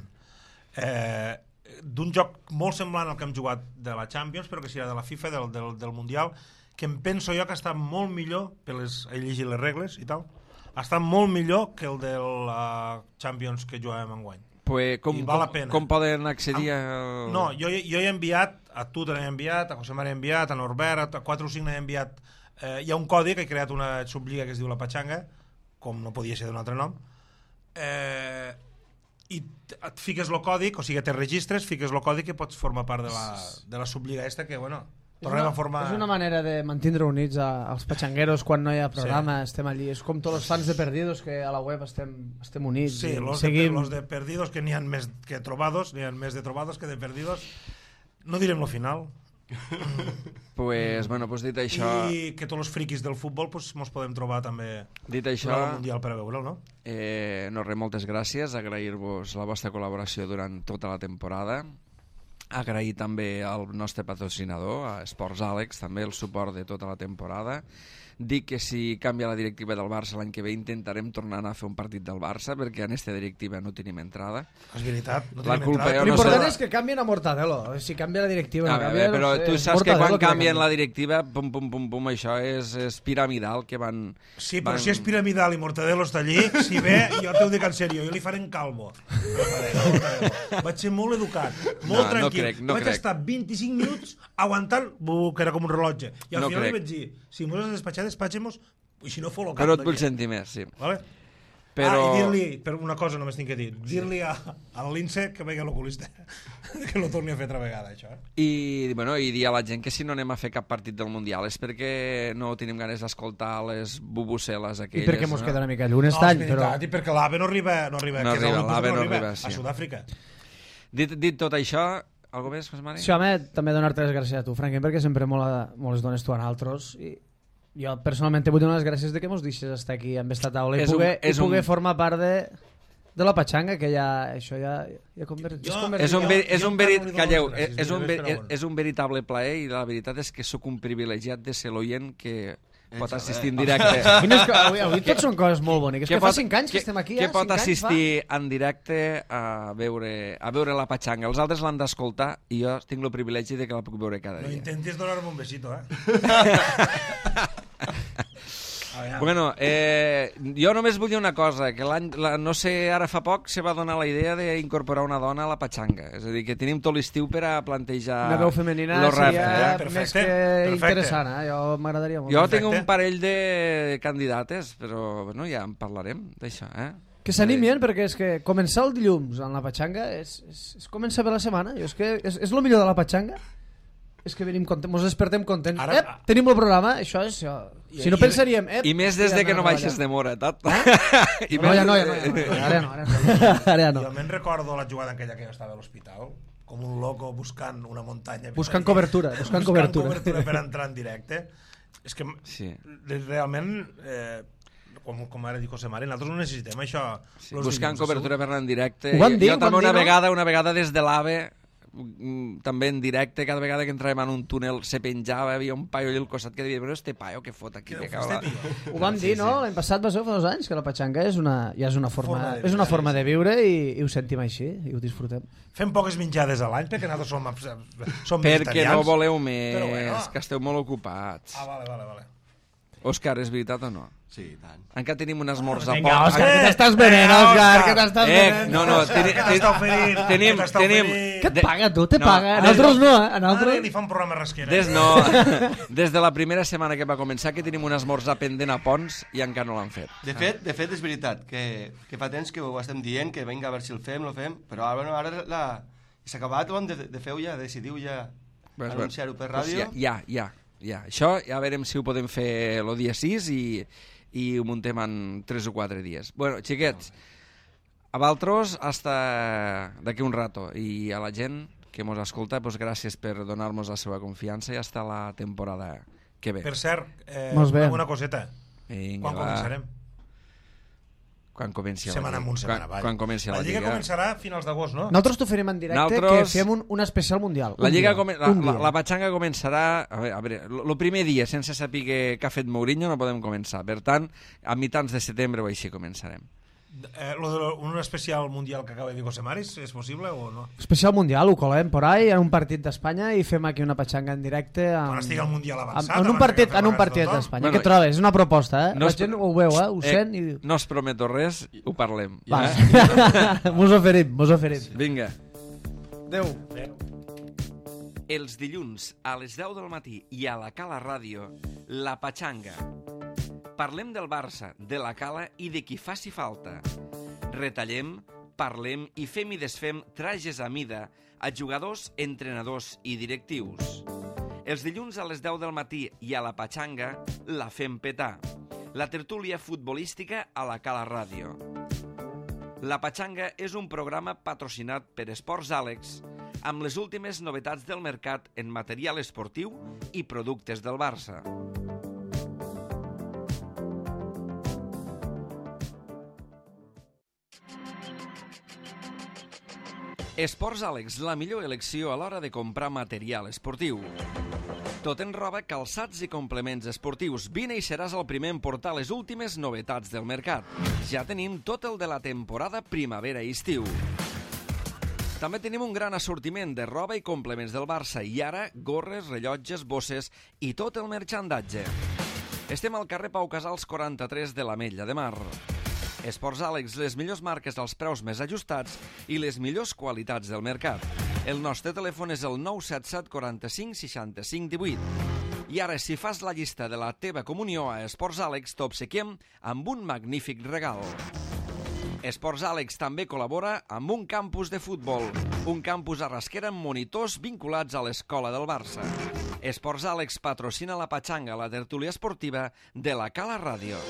Eh, d'un joc molt semblant al que hem jugat de la Champions, però que serà de la FIFA, del, del, del Mundial, que em penso jo que està molt millor, per les, he llegit les regles i tal, està molt millor que el de la Champions que jugàvem enguany. Pues, com, I val la com, pena. com poden accedir a... No, jo, jo he enviat, a tu te n'he enviat, a José María he enviat, a Norbert, a quatre o cinc n'he enviat. Eh, hi ha un codi que he creat una subliga que es diu La Pachanga, com no podia ser d'un altre nom, eh, i t- et fiques el codi, o sigui, te registres, fiques el codi que pots formar part de la, de la subliga esta, que, bueno, tornem una, a formar... És una manera de mantindre units a, als patxangueros quan no hi ha programa, sí. Estem allí. És com tots els fans de Perdidos, que a la web estem, estem units. Sí, i los, seguim... de, los de perdidos, que n'hi ha més que trobados, n'hi ha més de trobados que de perdidos. No direm lo final. Pues, bueno, pues dit això... I que tots els friquis del futbol pues, mos podem trobar també Dit això, durant el Mundial per a veure'l, no? eh, no res, moltes gràcies, agrair-vos la vostra col·laboració durant tota la temporada, agrair també al nostre patrocinador, a Esports Àlex, també el suport de tota la temporada. Dic que si canvia la directiva del Barça l'any que ve intentarem tornar a anar a fer un partit del Barça, perquè en aquesta directiva no tenim entrada. És veritat. No La tenim culpa entrada. jo no L'important sé- és que canvien a Mortadelo. Si canvia la directiva, A no veure, canvia, però no sé, tu és saps que Mortadelo quan que canvien canvia. la directiva, pum, pum, pum, pum, això és, és piramidal, que van... Sí, però van... si és piramidal i Mortadelo està allí, si ve, jo t'ho dic en sèrio, jo li faré en calvo. No faré, no, Mortadelo. Vaig ser molt educat, molt No, no tranquil. crec, no Vaig crec. estar vint-i-cinc minuts aguantant, bu, que era com un rellotge. I al No final crec. li vaig dir, si mos has de despatxar, despatxem-nos, i si no, fot lo cap. Però et vull d'aquí. sentir més, sí. Vale? Però... Ah, i dir-li, per una cosa només tinc que dir, dir-li a, a l'Inse que vegi a l'oculista, que no torni a fer altra vegada, això. Eh? I, bueno, i dir a la gent que si no anem a fer cap partit del Mundial és perquè no tenim ganes d'escoltar les bubuceles I aquelles. perquè mos no? queda una mica lluny No, aquest és any, però... veritat, i perquè l'AVE no arriba, no arriba, No que és arriba, l'Olympus, l'AVE no no arriba, arriba, sí. a Sud-àfrica. Dit, dit tot això, algo més, José Mari? Sí, home, també donar-te les gràcies a tu, Franklin, perquè sempre molt, molt les dones tu a nosaltres. I jo personalment vull donar les gràcies de que mos deixes estar aquí amb esta taula i És un- poder, és i poder un- formar part de, de la patxanga, que ja, això ja, ja convertit. Jo- És un, Jo- ver, és jo un, encara verit, no li dono calleu, les gràcies, és, un, diré, ver, però bueno. és un veritable plaer i la veritat és que sóc un privilegiat de ser l'oient que pot Ets, assistir en eh? directe. Quines, co- avui, avui tot són coses molt boniques. Que, fa cinc anys que, estem aquí, que ja, pot cinc anys assistir en directe a veure, a veure la patxanga. Els altres l'han d'escoltar i jo tinc el privilegi de que la puc veure cada No dia. intentis donar-me un besito, eh? Aviam. Bueno, eh, jo només volia una cosa, que l'any, la, no sé, ara fa poc se va donar la idea d'incorporar una dona a la patxanga. És a dir, que tenim tot l'estiu per a plantejar... Una veu femenina lo seria repte, eh? Perfecte, més que perfecte. interessant. Eh? Jo m'agradaria molt. Jo Perfecte. tinc un parell de candidates, però bueno, ja en parlarem d'això, eh? Que s'animin, perquè és que començar el dilluns en la patxanga és, és, és començar bé la setmana. Jo és que és, és el millor de la patxanga. És que venim contents, mos despertem contents. Ara- Ep, tenim el programa, això és... Això. Si no I- pensaríem... Ep, I més des de que no baixes de mora, tot. I No, més- ja no, ja no, ja no. Ara no, ara no. Ara ja no. Jo me'n recordo la jugada aquella que jo estava a l'hospital, com un loco buscant una muntanya. Buscant cobertura, buscant cobertura. cobertura per entrar en directe. És que Sí. realment, eh, com, com ara dic José Mari, nosaltres no necessitem això. Sí, los buscant dilluns, cobertura per anar en directe. Ho van dir, jo ho van també dir, una no? vegada, una vegada des de l'AVE, mm, també en directe, cada vegada que entràvem en un túnel se penjava, havia un paio allà al costat que deia, però este paio que fot aquí, Que que deu cago fer la... este tio. Ho vam dir, no? L'any passat va ser fa dos anys, que la patxanga és una, ja és una forma, Forma de és una viure, forma sí. de viure i, i ho sentim així, i ho disfrutem. Fem poques menjades a l'any perquè nosaltres som, som Perquè vegetarians. no voleu més, Però bueno. que esteu molt ocupats. Ah, vale, vale, vale. Òscar, és veritat o no? Sí, i tant. Encara tenim un esmorzar Vinga, poc. Òscar, Eh, que t'estàs venent, eh, Òscar, Òscar. que t'estàs Eh, venent. no, no, Òscar, teni- què t'està oferint? tenim, Què t'està tenim... oferint? Què et paga, tu? Te No, paga? A des- nosaltres no, eh? A Ara nosaltres... li fa un programa rasquera. Des, no, des de la primera setmana que va començar que tenim un esmorzar pendent a Pons i encara no l'han fet. De fet, de fet és veritat, que, que fa temps que ho estem dient, que vinga, a veure si el fem, lo fem, però ara, bueno, ara la... s'ha acabat, ho hem de, de fer ja, decidiu ja Pues, anunciar-ho per pues ràdio. ja, ja, ja, ja. Això ja veurem si ho podem fer el dia sis i, i ho muntem en tres o quatre dies. Bueno, xiquets, A vosaltres, hasta d'aquí un rato. I a la gent que ens escolta, pues, gràcies per donar-nos la seva confiança i hasta la temporada que ve. Per cert, eh, una coseta. Vinga, quan va. començarem? Quan comenci la Setmana Lliga. amunt, setmana quan, avall. quan comenci la, la Lliga. La Lliga començarà a finals d'agost, no? Nosaltres t'ho farem en directe, Nosaltres... que fem un, un especial mundial. La, Lliga come... la, la, la, la patxanga començarà... A veure, a veure, el primer dia, sense saber què ha fet Mourinho, no podem començar. Per tant, a mitjans de setembre o així començarem. Eh, lo de lo, un especial mundial que acaba de dir José Maris, és possible o no? Especial mundial, ho colem por ahí en un partit d'Espanya i fem aquí una patxanga en directe amb... Quan estigui el mundial avançat, amb, en un partit, en un partit d'Espanya. Bueno, què trobes? És una proposta, eh? No la gent ho veu, eh? Ho eh, sent i... No es prometo res, ho parlem. Va. Eh? mos oferim, mos oferim. Vinga. Adéu. Els dilluns a les deu del matí i a la Cala Ràdio, La Patxanga. Parlem del Barça, de la Cala i de qui faci falta. Retallem, parlem i fem i desfem trajes a mida a jugadors, entrenadors i directius. Els dilluns a les deu del matí i a la Patxanga la fem petar. La tertúlia futbolística a la Cala Ràdio. La Patxanga és un programa patrocinat per Esports Àlex amb les últimes novetats del mercat en material esportiu i productes del Barça. Esports Àlex, la millor elecció a l'hora de comprar material esportiu. Tot en roba, calçats i complements esportius. Vine i seràs el primer en portar les últimes novetats del mercat. Ja tenim tot el de la temporada primavera i estiu. També tenim un gran assortiment de roba i complements del Barça i ara gorres, rellotges, bosses i tot el marxandatge. Estem al carrer Pau Casals quaranta-tres de l'Ametlla de Mar. Esports Àlex, les millors marques als preus més ajustats i les millors qualitats del mercat. El nostre telèfon és el nou set set quaranta-cinc seixanta-cinc divuit. I ara, si fas la llista de la teva comunió a Esports Àlex, t'obsequiem amb un magnífic regal. Esports Àlex també col·labora amb un campus de futbol, un campus a Rasquera amb monitors vinculats a l'escola del Barça. Esports Àlex patrocina la Patxanga, la tertúlia esportiva de la Cala Ràdio.